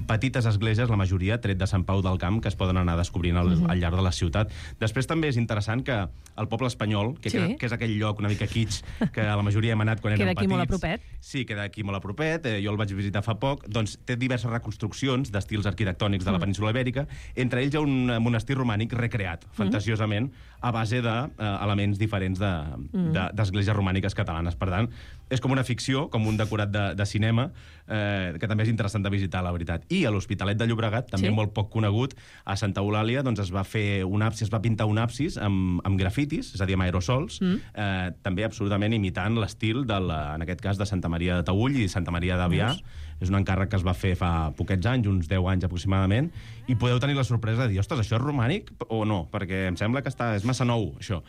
petites esglésies, la majoria, tret de Sant Pau del Camp, que es poden anar descobrint al, uh-huh. al llarg de la ciutat. Després també és interessant que el poble espanyol, que, sí. que, que és aquell lloc una mica kitsch, que la majoria hem anat quan érem petits... Queda aquí molt a propet. Sí, queda aquí molt a propet, eh, jo el vaig visitar fa poc, doncs té diverses reconstruccions d'estils arquitectònics de la península Ibèrica, entre ells hi ha un monestir romànic recreat, uh-huh. fantasiosament, a base d'elements de, eh, diferents d'esglésies de, de, romàniques catalanes. Per tant, és com una ficció, com un decorat de, de cinema, eh, que també és interessant de visitar, la veritat. I a l'Hospitalet de Llobregat, també sí. molt poc conegut, a Santa Eulàlia, doncs es va fer un absis, es va pintar un absis amb, amb grafitis, és a dir, amb aerosols, mm. eh, també absolutament imitant l'estil, en aquest cas, de Santa Maria de Taüll i Santa Maria d'Avià. És un encàrrec que es va fer fa poquets anys, uns deu anys aproximadament, i podeu tenir la sorpresa de dir, ostres, això és romànic o no? Perquè em sembla que està, és massa nou, això.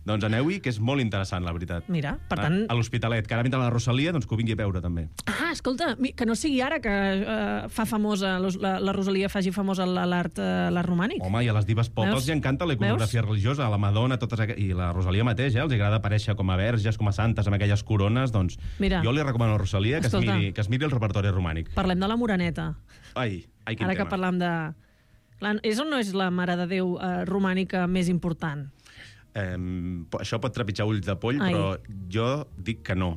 Doncs aneu-hi, que és molt interessant, la veritat. Mira, per tant... A, a l'Hospitalet, que ara vindrà la Rosalia, doncs que ho vingui a veure, també. Ah, escolta, que no sigui ara que uh, fa famosa, la, la Rosalia faci famosa l'art uh, romànic. Home, i a les dives pop els hi encanta la iconografia religiosa, a la Madonna, totes aqu... i la Rosalia mateix, eh? Els agrada aparèixer com a verges, com a santes, amb aquelles corones, doncs mira, jo li recomano a la Rosalia que es, miri, que es miri el repertori romànic. Parlem de la Moreneta. Ai, ai, quin ara tema. Que parlam de... És o no és la Mare de Déu eh, romànica més important? Eh, això pot trepitjar ulls de poll, ai. Però jo dic que no.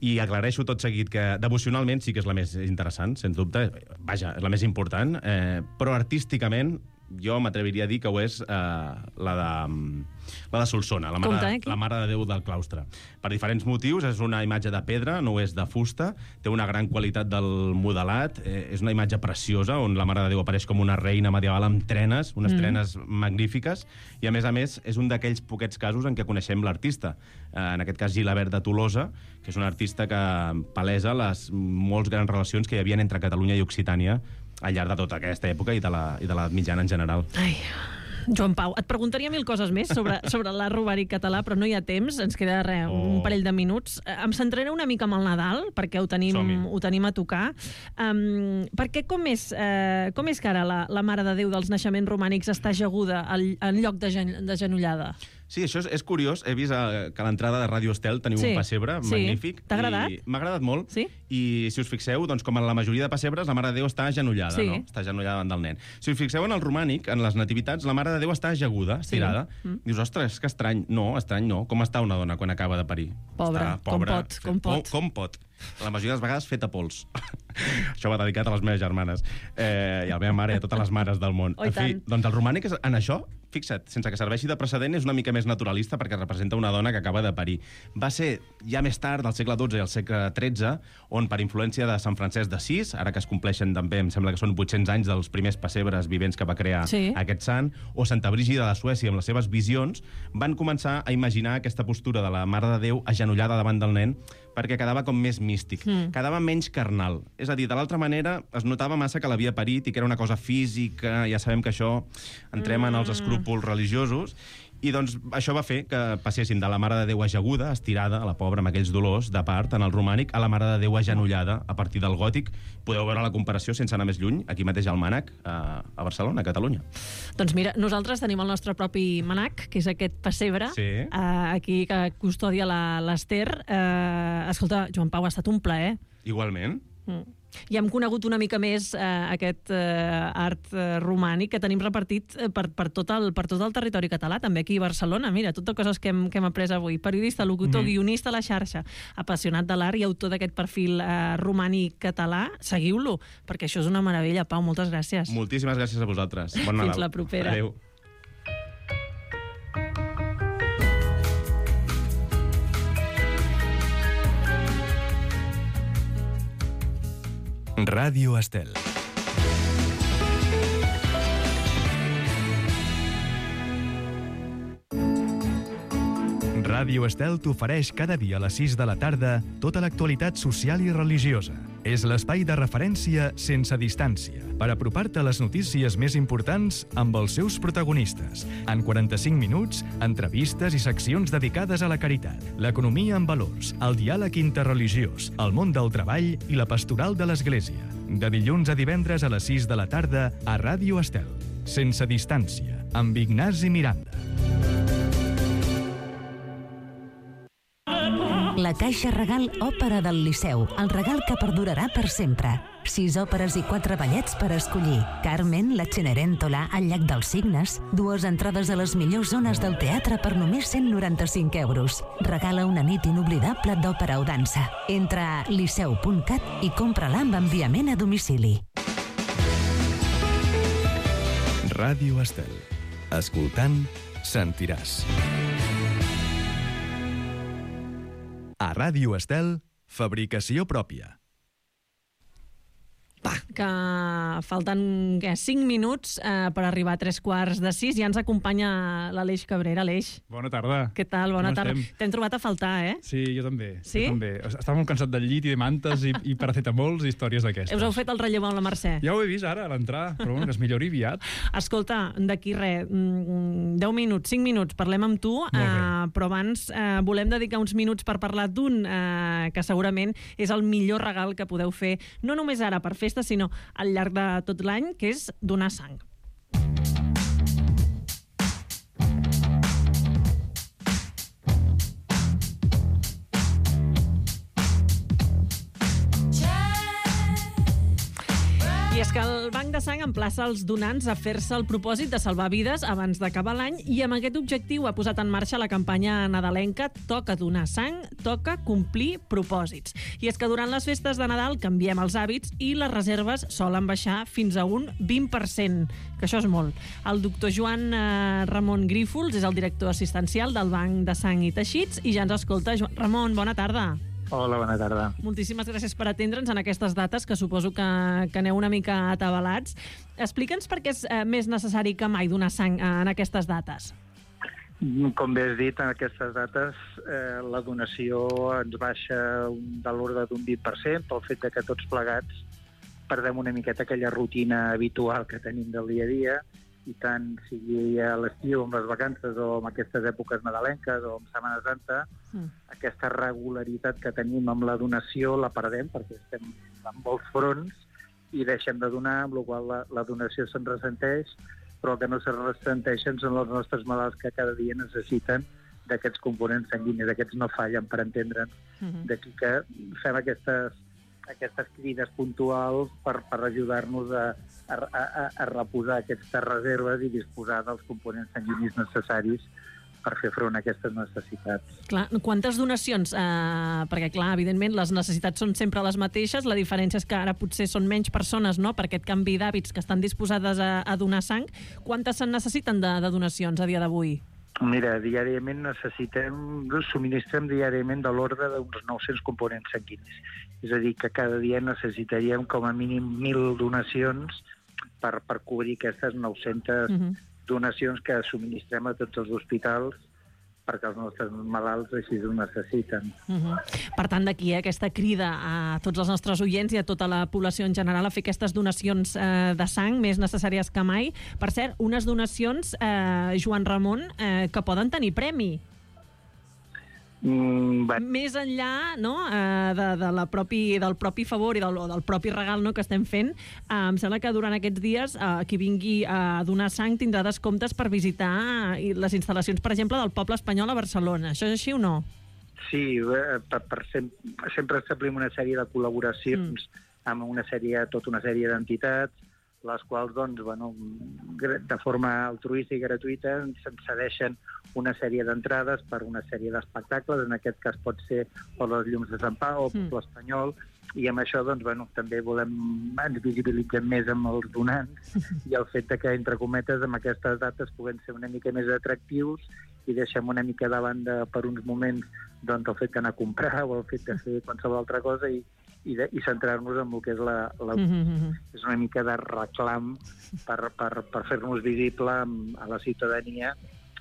I aclareixo tot seguit que devocionalment sí que és la més interessant, sens dubte. Vaja, és la més important. Eh, però artísticament jo m'atreviria a dir que ho és eh, la de... la de Solsona, la mare, Compte, la mare de Déu del claustre. Per diferents motius, és una imatge de pedra, no és de fusta, té una gran qualitat del modelat, eh, és una imatge preciosa, on la Mare de Déu apareix com una reina medieval amb trenes, unes mm. trenes magnífiques, i a més a més és un d'aquells poquets casos en què coneixem l'artista. Eh, en aquest cas Gilabert de Tolosa, que és un artista que palesa les molts grans relacions que hi havia entre Catalunya i Occitània al llarg de tota aquesta època i de l'edat mitjana en general. Ai... Joan Pau, et preguntaria mil coses més sobre, sobre l'art romànic català, però no hi ha temps, ens queda res, oh. un parell de minuts. Em centraré una mica amb el Nadal, perquè ho tenim, ho tenim a tocar. Um, perquè com és, uh, com és que ara la, la Mare de Déu dels naixements romànics està ajaguda al, en lloc de, gen, de genollada? Sí, això és, és curiós. He vist uh, que a l'entrada de Ràdio Estel teniu sí. un pessebre sí. magnífic. T'ha agradat? M'ha agradat molt. Sí? I si us fixeu, doncs, com en la majoria de pessebres, la Mare de Déu està agenollada, sí. no? Està agenollada davant del nen. Si us fixeu en el romànic, en les nativitats, la Mare de Déu està ajaguda, estirada. Sí. Mm. Dius, ostres, que estrany. No, estrany no. Com està una dona quan acaba de parir? Pobra, està pobra, com pot, com pot. Com, com pot. La majoria de les vegades feta pols. Això va dedicat a les meves germanes. Eh, I a la meva mare i a totes les mares del món. Oh, en fi, doncs el romànic és, en això, fixa't, sense que serveixi de precedent, és una mica més naturalista perquè representa una dona que acaba de parir. Va ser ja més tard, del segle dotze i el segle tretze, on per influència de Sant Francesc d'Assís, ara que es compleixen també, em sembla que són vuit-cents anys dels primers pessebres vivents que va crear sí. aquest sant, o Santa Brígida de Suècia amb les seves visions, van començar a imaginar aquesta postura de la Mare de Déu agenollada davant del nen perquè quedava com més místic, mm. quedava menys carnal. És a dir, de l'altra manera, es notava massa que l'havia parit i que era una cosa física, ja sabem que això entrem mm. en els escrúpols religiosos, i doncs això va fer que passessin de la Mare de Déu ajaguda, estirada, a la pobra, amb aquells dolors de part, en el romànic, a la Mare de Déu agenollada a partir del gòtic. Podeu veure la comparació sense anar més lluny, aquí mateix al Mànec, a Barcelona, a Catalunya. Doncs mira, nosaltres tenim el nostre propi Mànec, que és aquest pessebre, sí. aquí que custodia l'Ester. Escolta, Joan Pau, ha estat un plaer. Igualment. Mm. I hem conegut una mica més eh, aquest eh, art eh, romànic que tenim repartit eh, per, per, tot el, per tot el territori català, també aquí a Barcelona. Mira, tot de coses que hem, que hem après avui. Periodista, locutor, mm. guionista a la xarxa, apassionat de l'art i autor d'aquest perfil eh, romànic català. Seguiu-lo, perquè això és una meravella. Pau, moltes gràcies. Moltíssimes gràcies a vosaltres. Bon Nadal. Fins la propera. Adéu. Ràdio Estel. Ràdio Estel t'ofereix cada dia a les sis de la tarda tota l'actualitat social i religiosa. És l'espai de referència sense distància per apropar-te a les notícies més importants amb els seus protagonistes. En quaranta-cinc minuts, entrevistes i seccions dedicades a la caritat, l'economia amb valors, el diàleg interreligiós, el món del treball i la pastoral de l'Església. De dilluns a divendres a les sis de la tarda a Ràdio Estel. Sense distància, amb Ignasi Miranda. La Caixa Regal Òpera del Liceu, el regal que perdurarà per sempre. Sis òperes i quatre ballets per escollir. Carmen, la Cenerentola, el Llac dels Cignes, dues entrades a les millors zones del teatre per només cent noranta-cinc euros. Regala una nit inoblidable d'òpera o dansa. Entra a liceu punt cat i compra-la amb enviament a domicili. Ràdio Estel. Escoltant, sentiràs. A Ràdio Estel, fabricació pròpia. Va, que falten què, cinc minuts eh, per arribar a tres quarts de sis i ja ens acompanya l'Aleix Cabrera. Aleix. Bona tarda. Què tal? Bona Com tarda. estem? T'hem trobat a faltar, eh? Sí, jo també. Sí? Jo també. Estava molt cansat del llit i de mantes i, i paracetamols i històries d'aquestes. Us heu fet el relleu amb la Mercè? Ja ho he vist ara, a l'entrar, però bueno, que es millori aviat. Escolta, d'aquí res, deu minuts, cinc minuts, parlem amb tu, eh, però abans eh, volem dedicar uns minuts per parlar d'un eh, que segurament és el millor regal que podeu fer, no només ara per festa, sinó al llarg de tot l'any, que és donar sang. I és que el Banc de Sang emplaça els donants a fer-se el propòsit de salvar vides abans d'acabar l'any i amb aquest objectiu ha posat en marxa la campanya nadalenca Toca donar sang, toca complir propòsits. I és que durant les festes de Nadal canviem els hàbits i les reserves solen baixar fins a un vint per cent, que això és molt. El doctor Joan eh, Ramon Grífols és el director assistencial del Banc de Sang i Teixits i ja ens escolta. Joan Ramon, bona tarda. Hola, bona tarda. Moltíssimes gràcies per atendre'ns en aquestes dates, que suposo que, que aneu una mica atabalats. Explica'ns per què és eh, més necessari que mai donar sang eh, en aquestes dates. Com bé has dit, en aquestes dates eh, la donació ens baixa de l'ordre d'un vint per cent pel fet de que tots plegats perdem una miqueta aquella rutina habitual que tenim del dia a dia, i tant sigui a l'estiu, amb les vacances, o amb aquestes èpoques nadalenques, o amb Setmana Santa, mm. aquesta regularitat que tenim amb la donació la perdem, perquè estem en molts fronts i deixem de donar, amb la qual la, la donació se'n ressenteix, però el que no se'n ressenteixen són els nostres malalts que cada dia necessiten d'aquests components sanguinis, aquests no fallen, per entendre'ns. Mm-hmm. D'aquí que fem aquestes, aquestes crides puntuals per, per ajudar-nos a A, a, a reposar aquestes reserves i disposar dels components sanguinis necessaris per fer front a aquestes necessitats. Clar, quantes donacions? Eh, perquè, clar, evidentment, les necessitats són sempre les mateixes, la diferència és que ara potser són menys persones, no?, per aquest canvi d'hàbits que estan disposades a, a donar sang. Quantes se'n necessiten de, de donacions a dia d'avui? Mira, diàriament necessitem, subministrem diàriament de l'ordre d'uns nou-cents components sanguinis. És a dir, que cada dia necessitaríem com a mínim mil donacions per, per cobrir aquestes nou-centes uh-huh. donacions que subministrem a tots els hospitals perquè els nostres malalts així ho necessiten. Uh-huh. Per tant, d'aquí eh, aquesta crida a tots els nostres oients i a tota la població en general a fer aquestes donacions eh, de sang més necessàries que mai. Per cert, unes donacions, eh, Joan Ramon, eh, que poden tenir premi. Mm, Més enllà, no?, eh, de, de la propi, del propi favor i del, del propi regal, no?, que estem fent, eh, em sembla que durant aquests dies eh, qui vingui a donar sang tindrà descomptes per visitar eh, les instal·lacions, per exemple, del Poble Espanyol a Barcelona. Això és així o no? Sí, eh, per, per sem sempre establim una sèrie de col·laboracions mm. amb una sèrie, tota una sèrie d'entitats, les quals, doncs, bueno, de forma altruista i gratuïta se'n cedeixen una sèrie d'entrades per una sèrie d'espectacles, en aquest cas pot ser per les Llums de Sant Pau o per l'Espanyol, i amb això, doncs, bueno, també volem, ens visibilitzem més amb els donants i el fet que, entre cometes, amb aquestes dates puguem ser una mica més atractius i deixem una mica de banda per uns moments doncs, el fet d'anar a comprar o el fet de fer qualsevol altra cosa i i, de, i centrar-nos en el que és la, la mm-hmm. és una mica de reclam per, per, per fer-nos visible a la ciutadania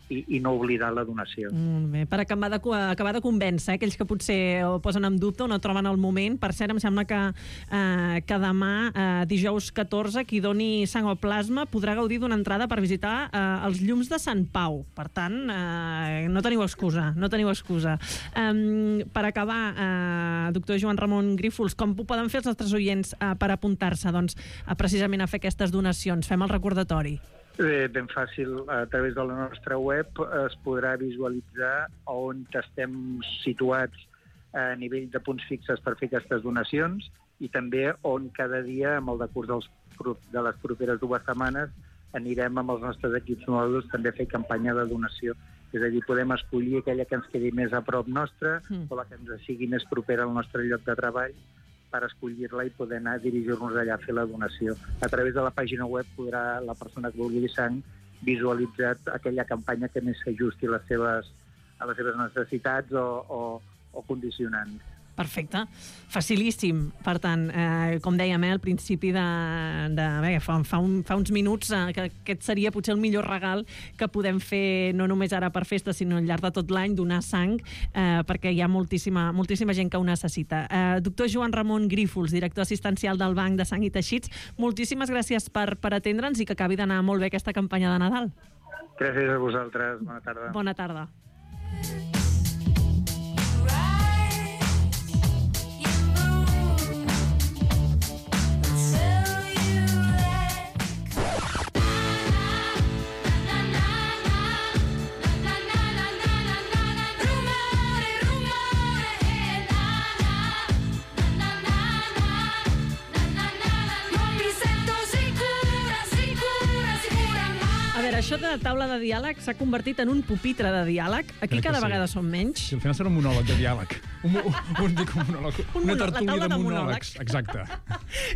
i, i no oblidar la donació. Mm, bé, per acabar de, acabar de convèncer eh, aquells que potser ho posen en dubte o no troben el moment. Per cert, em sembla que, eh, que demà, eh, dijous catorze, qui doni sang o plasma podrà gaudir d'una entrada per visitar eh, els Llums de Sant Pau. Per tant, eh, no teniu excusa, no teniu excusa. Um, per acabar, eh, doctor Joan Ramon Grífols, com ho poden fer els nostres oients eh, per apuntar-se doncs, a, precisament a fer aquestes donacions? Fem el recordatori. Eh, ben fàcil, a través de la nostra web es podrà visualitzar on estem situats a nivell de punts fixes per fer aquestes donacions i també on cada dia, amb el decurs dels, de les properes dues setmanes, anirem amb els nostres equips mòduls també a fer campanya de donació. És a dir, podem escollir aquella que ens quedi més a prop nostra mm. o la que ens sigui més propera al nostre lloc de treball per escollir-la i poder anar a dirigir-nos allà a fer la donació. A través de la pàgina web podrà la persona que vulgui sang visualitzar aquella campanya que més s'ajusti a les seves, a les seves necessitats o, o, o condicionants. Perfecte. Facilíssim. Per tant, eh, com dèiem, eh, al principi de... de bé, fa, fa, un, fa uns minuts eh, que aquest seria potser el millor regal que podem fer no només ara per festa, sinó al llarg de tot l'any, donar sang, eh, perquè hi ha moltíssima, moltíssima gent que ho necessita. Eh, doctor Joan Ramon Grífols, director assistencial del Banc de Sang i Teixits, moltíssimes gràcies per, per atendre'ns i que acabi d'anar molt bé aquesta campanya de Nadal. Gràcies a vosaltres. Bona tarda. Bona tarda. Això de taula de diàleg s'ha convertit en un pupitre de diàleg. Aquí cada sí. vegada som menys. Sí, al final serà un monòleg de diàleg. Un, un, un, dic, un monòleg. Un una monòleg, tertúlia de, de monòlegs. Exacte.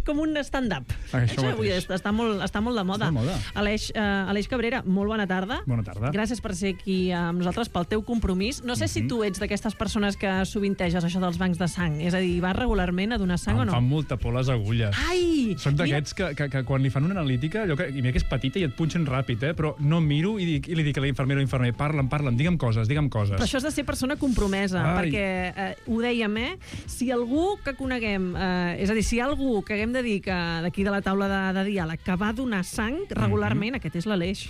Com un stand-up. Ah, això això avui està molt, està molt de moda. Està de moda. Aleix, uh, Aleix Cabrera, molt bona tarda. Bona tarda. Gràcies per ser aquí amb nosaltres, pel teu compromís. No sé mm-hmm. si tu ets d'aquestes persones que sovinteges això dels bancs de sang. És a dir, vas regularment a donar sang em o no? Em fan molta por les agulles. Ai! Soc d'aquests que, que, que quan li fan una analítica, allò que, i mira que és petita i et punxen ràpid, eh? Però no miro i, dic, i li dic a l'infermera o infermer, parla'm, parla'm, digue'm coses, digue'm coses. Però això és de ser persona compromesa, Ai. perquè eh, ho dèiem, eh? Si algú que coneguem, eh, és a dir, si hi ha algú que haguem de dir que d'aquí de la taula de, de diàleg que va donar sang regularment, mm-hmm. aquest és l'Aleix.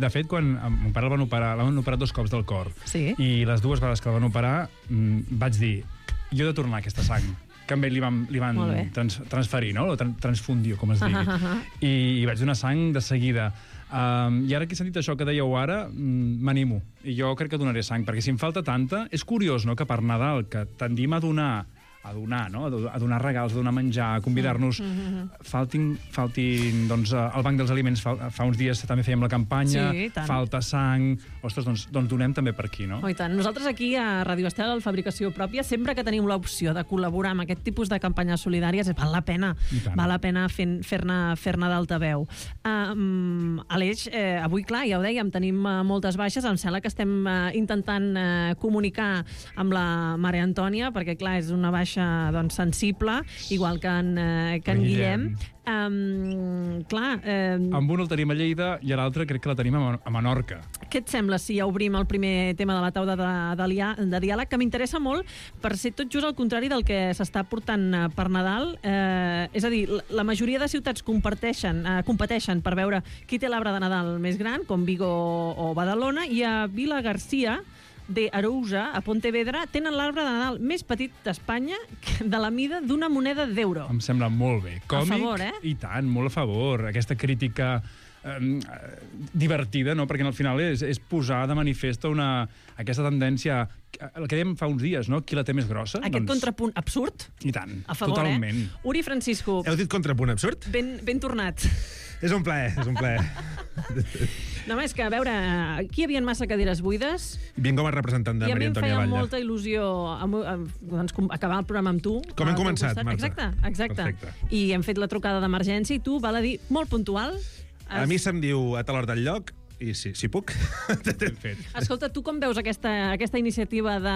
De fet, quan mon pare el van operar, l'han operat dos cops del cor, sí. i les dues vegades que el van operar mm, vaig dir, jo he de tornar aquesta sang, que amb ell li van, li van trans, transferir, no? O tran, transfundir, com es digui. Uh -huh. I, I vaig donar sang de seguida. Um, I ara que he sentit això que dèieu ara, m'animo. I jo crec que donaré sang, perquè si em falta tanta... És curiós, no?, que per Nadal, que tendim a donar a donar, no? A donar regals, a donar menjar, a convidar-nos. Mm-hmm. Faltin, faltin, doncs, el Banc dels Aliments, fa, fa uns dies també fèiem la campanya, sí, falta sang... Ostres, doncs, doncs donem també per aquí, no? Oh, i tant. Nosaltres aquí a Ràdio Estel, a Fabricació Pròpia, sempre que tenim l'opció de col·laborar amb aquest tipus de campanyes solidàries, val la pena, val la pena fer-ne fer fer d'altaveu. Um, Aleix, eh, avui, clar, ja ho dèiem, tenim uh, moltes baixes, em sembla que estem uh, intentant uh, comunicar amb la Maria Antònia, perquè, clar, és una baixa doncs, sensible, igual que en, eh, que en Guillem. Guillem. Um, clar... Um... Amb un el tenim a Lleida i a l'altre crec que la tenim a, a Menorca. Què et sembla si ja obrim el primer tema de la taula de, de, de diàleg, que m'interessa molt per ser tot just al contrari del que s'està portant per Nadal? Eh, és a dir, la majoria de ciutats comparteixen, eh, competeixen per veure qui té l'arbre de Nadal més gran, com Vigo o Badalona, i a Vila Garcia de Arousa, a Pontevedra, tenen l'arbre de Nadal més petit d'Espanya, de la mida d'una moneda d'euro. Em sembla molt bé. Còmic, a favor, eh? I tant, molt a favor. Aquesta crítica eh, divertida, no? Perquè al final és, és posar de manifest una, aquesta tendència, el que dèiem fa uns dies, no? Qui la té més grossa? Aquest doncs... contrapunt absurd? I tant, a favor, totalment. Eh? Uri Francisco. Heu dit contrapunt absurd? Ben, ben tornat. És un plaer, és un plaer. No, és que, a veure, aquí hi havia massa cadires buides. Vinc com a representant de Maria Antònia Batlle. I a mi em feia molta il·lusió amb, amb, doncs, acabar el programa amb tu. Com hem començat, Marta. Exacte, exacte. Perfecte. I hem fet la trucada d'emergència i tu, val a dir, molt puntual. A mi se'm diu a tal hora del lloc, i si, si puc, t'hem fet. Escolta, tu com veus aquesta, aquesta iniciativa de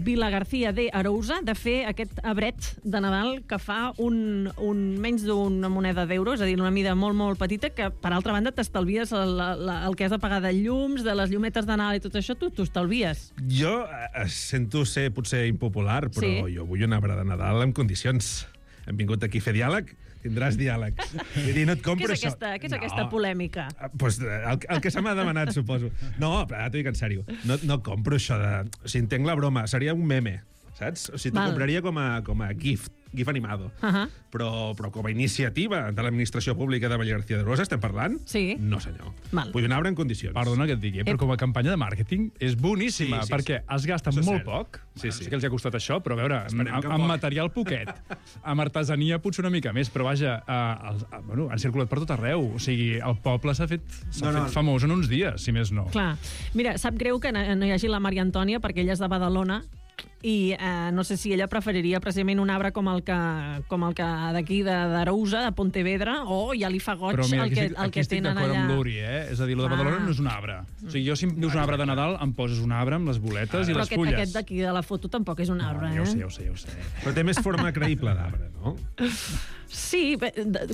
Vila García de Arousa de fer aquest abret de Nadal que fa un, un menys d'una moneda d'euro, és a dir, una mida molt, molt petita, que, per altra banda, t'estalvies el, el que has de pagar de llums, de les llumetes de Nadal i tot això, tu t'ho estalvies. Jo eh, sento ser potser impopular, però sí. Jo vull un arbre de Nadal en condicions. Hem vingut aquí a fer diàleg, tindràs diàlegs. Vull dir, no et compro què és això. Aquesta, què és no. aquesta polèmica? Pues, el, el que se m'ha demanat, suposo. No, però t'ho dic en sèrio. No, no compro això de... O sigui, entenc la broma. Seria un meme, saps? O sigui, t'ho compraria com a, com a gift, gif animado. Uh -huh. però, però com a iniciativa de l'administració pública de Vall García de Arousa estem parlant? Sí. No, senyor. Val. Vull un arbre en condicions. Perdona que et digui, eh? però com a campanya de màrqueting és boníssima, sí, sí, perquè sí. has gastat molt poc. Sí, sí. Sí que els ha costat això, però a veure, amb, amb material poquet, amb artesania potser una mica més, però vaja, eh, el, eh, bueno, han circulat per tot arreu. O sigui, el poble s'ha fet, no, fet no. famós en uns dies, si més no. Clar. Mira, sap greu que no hi hagi la Maria Antònia, perquè ella és de Badalona, i eh, no sé si ella preferiria precisament un arbre com el que, com el que d'aquí d'Arousa, de Pontevedra, o ja li fa goig mira, el que, estic, el que tenen allà. Aquí estic d'acord amb l'Uri, eh? És a dir, el de Badalona no és un arbre. O sigui, jo si em dius un arbre de Nadal, em poses un arbre amb les boletes ah, i les aquest, fulles. Però aquest d'aquí de la foto tampoc és un arbre, no, ja ho sé, eh? ja ho sé, ja ho sé. Però té més forma creïble d'arbre, no? Sí,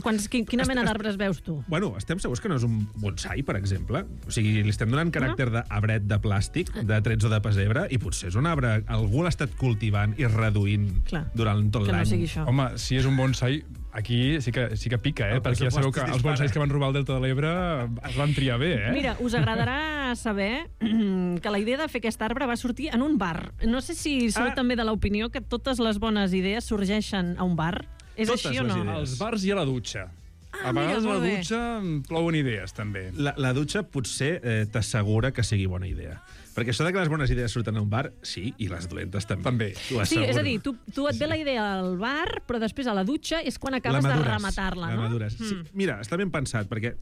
quants, quina mena d'arbres veus tu? Bueno, estem segurs que no és un bonsai, per exemple? O sigui, li estem donant caràcter d'arbret de plàstic, de trets o de pessebre, i potser és un arbre, algú l'ha estat cultivant i reduint Clar, durant tot l'any. No sigui això. Home, si és un bonsai, aquí sí que, sí que pica, eh? El perquè ja sabeu que els bonsais que van robar al Delta de l'Ebre es van triar bé, eh? Mira, us agradarà saber que la idea de fer aquest arbre va sortir en un bar. No sé si sou ah. també de l'opinió que totes les bones idees sorgeixen a un bar. És Totes així o no? Idees. Als bars i a la dutxa. Ah, a vegades mira, a la dutxa plouen idees, també. La, la dutxa potser eh, t'assegura que sigui bona idea. Perquè això de que les bones idees surten a un bar, sí, i les dolentes també. També. Sí, és a dir, tu, tu et ve la idea al bar, però després a la dutxa és quan acabes de rematar-la, no? La madures. Mm. Sí, mira, està ben pensat, perquè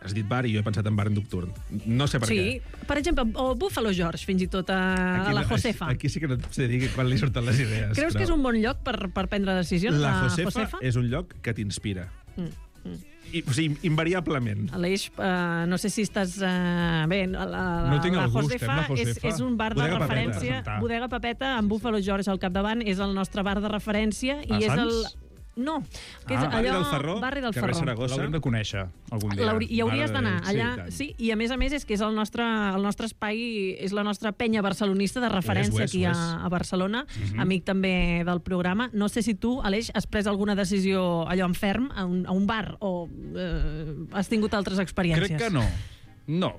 has dit bar i jo he pensat en bar nocturn. No sé per sí. què. Sí, per exemple, o Buffalo George, fins i tot a, aquí, a la Josefa. Aquí sí que no et sé dir quan li surten les idees. Creus però... que és un bon lloc per, per prendre decisions, la la Josefa? Josefa? És un lloc que t'inspira. Mm. Mm. I, o sigui, invariablement. Aleix, uh, no sé si estàs... Uh, bé, la, la, no tinc la, el gust, Josefa la Josefa és, és un bar de Bodega referència. Papeta. Bodega Papeta, amb Buffalo George al capdavant, és el nostre bar de referència. A i és Sants? el... No, que és ah, allò... Barri del Ferró, Barri del carrer Ferró. Saragossa. L'haurem de conèixer algun dia. Hi hauries d'anar allà, sí, sí, i a més a més és que és el nostre, el nostre espai, és la nostra penya barcelonista de referència és, és, aquí a, a Barcelona, uh-huh. amic també del programa. No sé si tu, Aleix, has pres alguna decisió allò en ferm, a un, a un bar, o eh, has tingut altres experiències? Crec que no. No.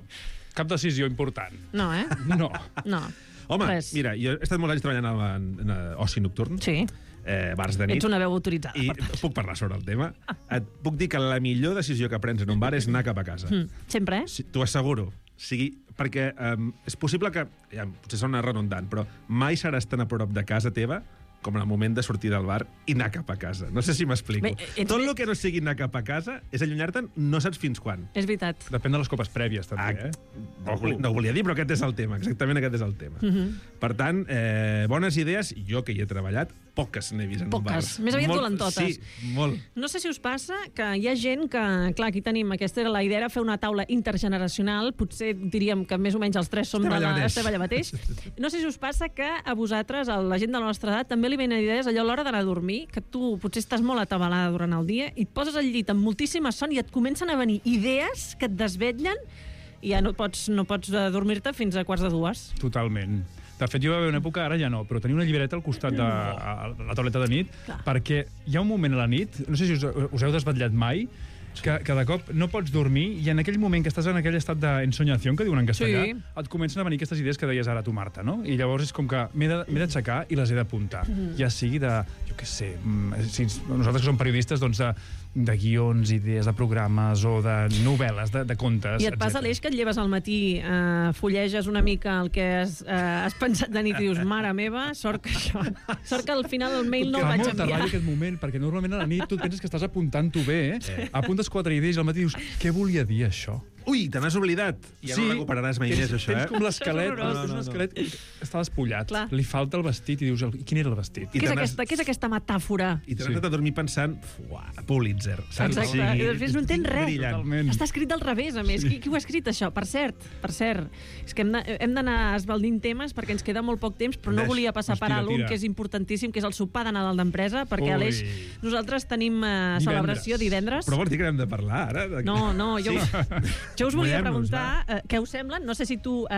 Cap decisió important. No, eh? No. No. Home, Res. mira, jo he estat molts anys treballant en, en, en oci nocturn. Sí. Eh, bars de nit. Ets una veu autoritzada, I per tant. puc parlar sobre el tema. Et puc dir que la millor decisió que prens en un bar és anar cap a casa. Mm. Sempre, eh? Sí, t'ho asseguro. Sigui, perquè um, és possible que, ja, potser sona redundant, però mai seràs tan a prop de casa teva com en el moment de sortir del bar i anar cap a casa. No sé si m'explico. Bé, Tot el que no sigui anar cap a casa és allunyar-te'n no saps fins quan. És veritat. Depèn de les copes prèvies, també, eh? No, no ho volia dir, però aquest és el tema. Exactament aquest és el tema. Uh -huh. Per tant, eh, bones idees, jo que hi he treballat, poques n'he vist en un bar. Poques. Més aviat dolentotes. Sí, molt. No sé si us passa que hi ha gent que, clar, aquí tenim, aquesta era la idea, fer una taula intergeneracional, potser diríem que més o menys els tres som Estem de allà la... mateix. Estem allà mateix. No sé si us passa que a vosaltres, a la gent de la nostra edat, també li venen idees allò a l'hora d'anar a dormir, que tu potser estàs molt atabalada durant el dia i et poses al llit amb moltíssima son i et comencen a venir idees que et desvetllen i ja no pots, no pots dormir-te fins a quarts de dues. Totalment. De fet, jo va haver una època, ara ja no, però tenia una llibreta al costat de a la tauleta de nit, Clar. perquè hi ha un moment a la nit, no sé si us, us heu desvetllat mai, que, que de cop no pots dormir i en aquell moment que estàs en aquell estat d'ensonyació, que diuen en castellà, Sí. et comencen a venir aquestes idees que deies ara tu, Marta, no? I llavors és com que m'he de- m'he d'aixecar i les he d'apuntar. Mhm. Ja sigui de, jo què sé, mm, si nosaltres que som periodistes, doncs de, de guions, idees de programes o de novel·les, de, de contes, I et passa, etcètera. Aleix, que et lleves al matí, eh, fulleges una mica el que has, eh, has pensat de nit i dius, mare meva, sort que això... Sort que al final el mail no el vaig Fa molta enviar. ràbia aquest moment, perquè normalment a la nit tu et penses que estàs apuntant-ho bé, eh? Apuntes quatre idees i al matí dius, què volia dir això? Ui, te n'has oblidat. Ja no recuperaràs mai tens, més, això, eh? Tens com l'esquelet, No, no, tens no, un no. esquelet que està despullat. Clar. Li falta el vestit i dius, quin era el vestit? Què és, aquesta, què és aquesta metàfora? I t'has anat a dormir pensant, fuà, Pulitzer. Saps? Exacte, Sí, i després no entens res. brillant. Està escrit del revés, a més. Qui, qui ho ha escrit, això? Per cert, per cert, és que hem de- hem d'anar esbaldint temes perquè ens queda molt poc temps, però no Ves. volia passar Doncs per tira, alt un tira. que és importantíssim, que és el sopar de Nadal d'empresa, perquè, Ui. Aleix, nosaltres tenim eh, celebració divendres. Però vols dir que n'hem de parlar, ara? De- No, no, jo, Sí. jo us volia Mullem-nos, preguntar eh, què us semblen. No sé si tu eh,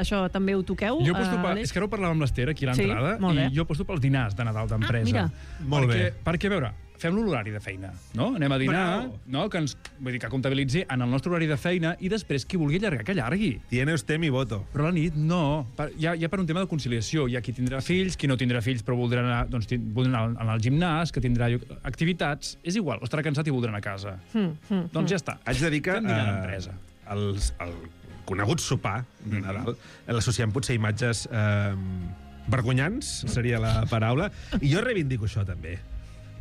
això també ho toqueu. Jo aposto eh, per, Aleix. és que ara ho parlàvem amb l'Ester aquí a Sí, l'entrada, molt bé. i jo aposto pels dinars de Nadal d'empresa. Ah, mira. Molt perquè, bé. Perquè, a veure, fem-lo l'horari de feina, no? Anem a dinar, Bravo. no? Que ens, vull dir, que comptabilitzi en el nostre horari de feina i després qui vulgui allargar, que allargui. Tiene usted mi voto. Però a la nit, no. Per, ja, ja per un tema de conciliació. Hi ha qui tindrà fills, qui no tindrà fills però voldrà anar, doncs, tin- voldrà anar al, al gimnàs, que tindrà lloc- activitats. És igual, o estarà cansat i voldrà anar a casa. Mm, mm, Doncs ja està. Haig de dir que Fem dinar eh, d'empresa. els, el conegut sopar de Nadal l'associem potser a imatges eh, vergonyants, seria la paraula, i jo reivindico això també.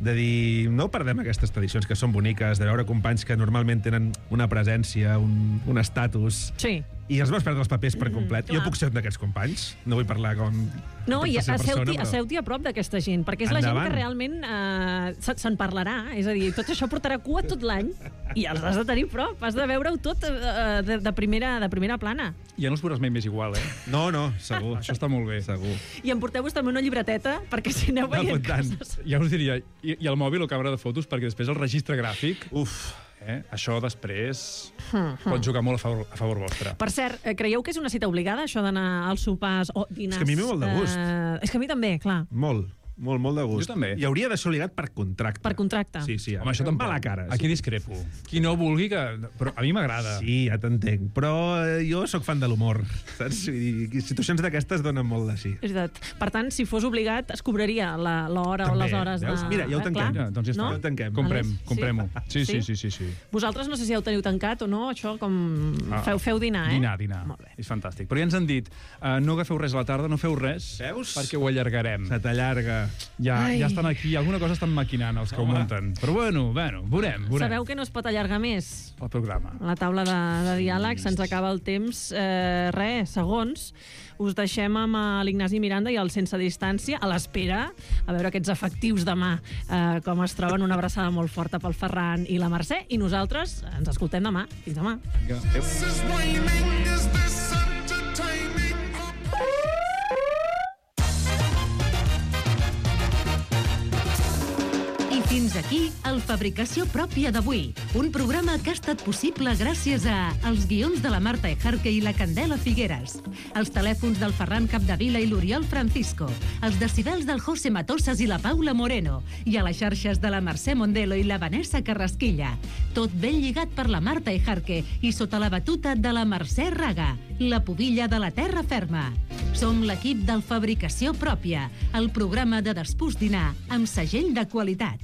De dir, no perdem aquestes tradicions que són boniques, de veure companys que normalment tenen una presència, un, un estatus, Sí. i els vas perdre els papers per complet. clar. Jo puc ser un d'aquests companys, no vull parlar com... No, i tercera asseu-t'hi persona, però- asseu-t'hi a prop d'aquesta gent, perquè és la gent Endavant. que realment eh, se- se'n parlarà. És a dir, tot això portarà cua tot l'any i els has de tenir a prop. Has de veure-ho tot eh, de, de, primera, de primera plana. Ja no els veuràs mai més igual, eh? No, no, segur. Això està molt bé. Segur. I emporteu-vos també una llibreteta, perquè si aneu veient coses... Ja us diria, i, i el mòbil o càmera de fotos, perquè després el registre gràfic... Uf! Eh? Això després Hmm, hmm. pot jugar molt a favor, a favor vostre. Per cert, eh, creieu que és una cita obligada, això d'anar als sopars o dinars? És que a mi em ve molt de gust. Eh, és que a mi també, clar. Molt, molt, molt de gust. Jo també. I hauria de ser obligat per contracte. Per contracte. Sí, sí. Home, això tampoc. Mala cara. Aquí discrepo. Qui no vulgui, que... però a mi m'agrada. Sí, ja t'entenc. Però eh, jo sóc fan de l'humor, saps? Vull dir, situacions d'aquestes donen molt de sí. És veritat. Per tant, si fos obligat, es cobraria la- l'hora o les hores veus? de... Mira, ja ho Eh, tanquem. clar. Ja, doncs ja està. No? Ja ho tanquem. Comprem, Aleix? comprem-ho. Sí, sí, Sí? sí, sí, sí. Vosaltres no sé si ja ho teniu tancat o no, això com... Ah, Feu, feu dinar, eh? Dinar, dinar. Molt bé. És fantàstic. Però ja ens han dit, uh, no agafeu res a la tarda, no feu res, Veus? perquè ho allargarem. Se t'allarga. Ja, Ai. ja estan aquí, alguna cosa estan maquinant els que ho munten. Però bueno, bueno, veurem, veurem. Sabeu que no es pot allargar més? El programa. A la taula de, de diàleg se'ns acaba el temps. Eh, res, segons. Us deixem amb eh, l'Ignasi Miranda i el Sense Distància, a l'espera, a veure aquests efectius demà, eh, com es troben. Una abraçada molt forta pel Ferran i la Mercè, i nosaltres ens escoltem demà. Fins demà. Vinga, adéu. I fins aquí el Fabricació Pròpia d'avui, un programa que ha estat possible gràcies a els guions de la Marta Ejarque i la Candela Figueres, els telèfons del Ferran Capdevila i l'Oriol Francisco, els decibels del José Matosas i la Paula Moreno, i a les xarxes de la Mercè Mondelo i la Vanessa Carrasquilla. Tot ben lligat per la Marta Ejarque i sota la batuta de la Mercè Raga, la pubilla de la terra ferma. Som l'equip del Fabricació Pròpia, el programa de Despús Dinar amb segell de qualitat.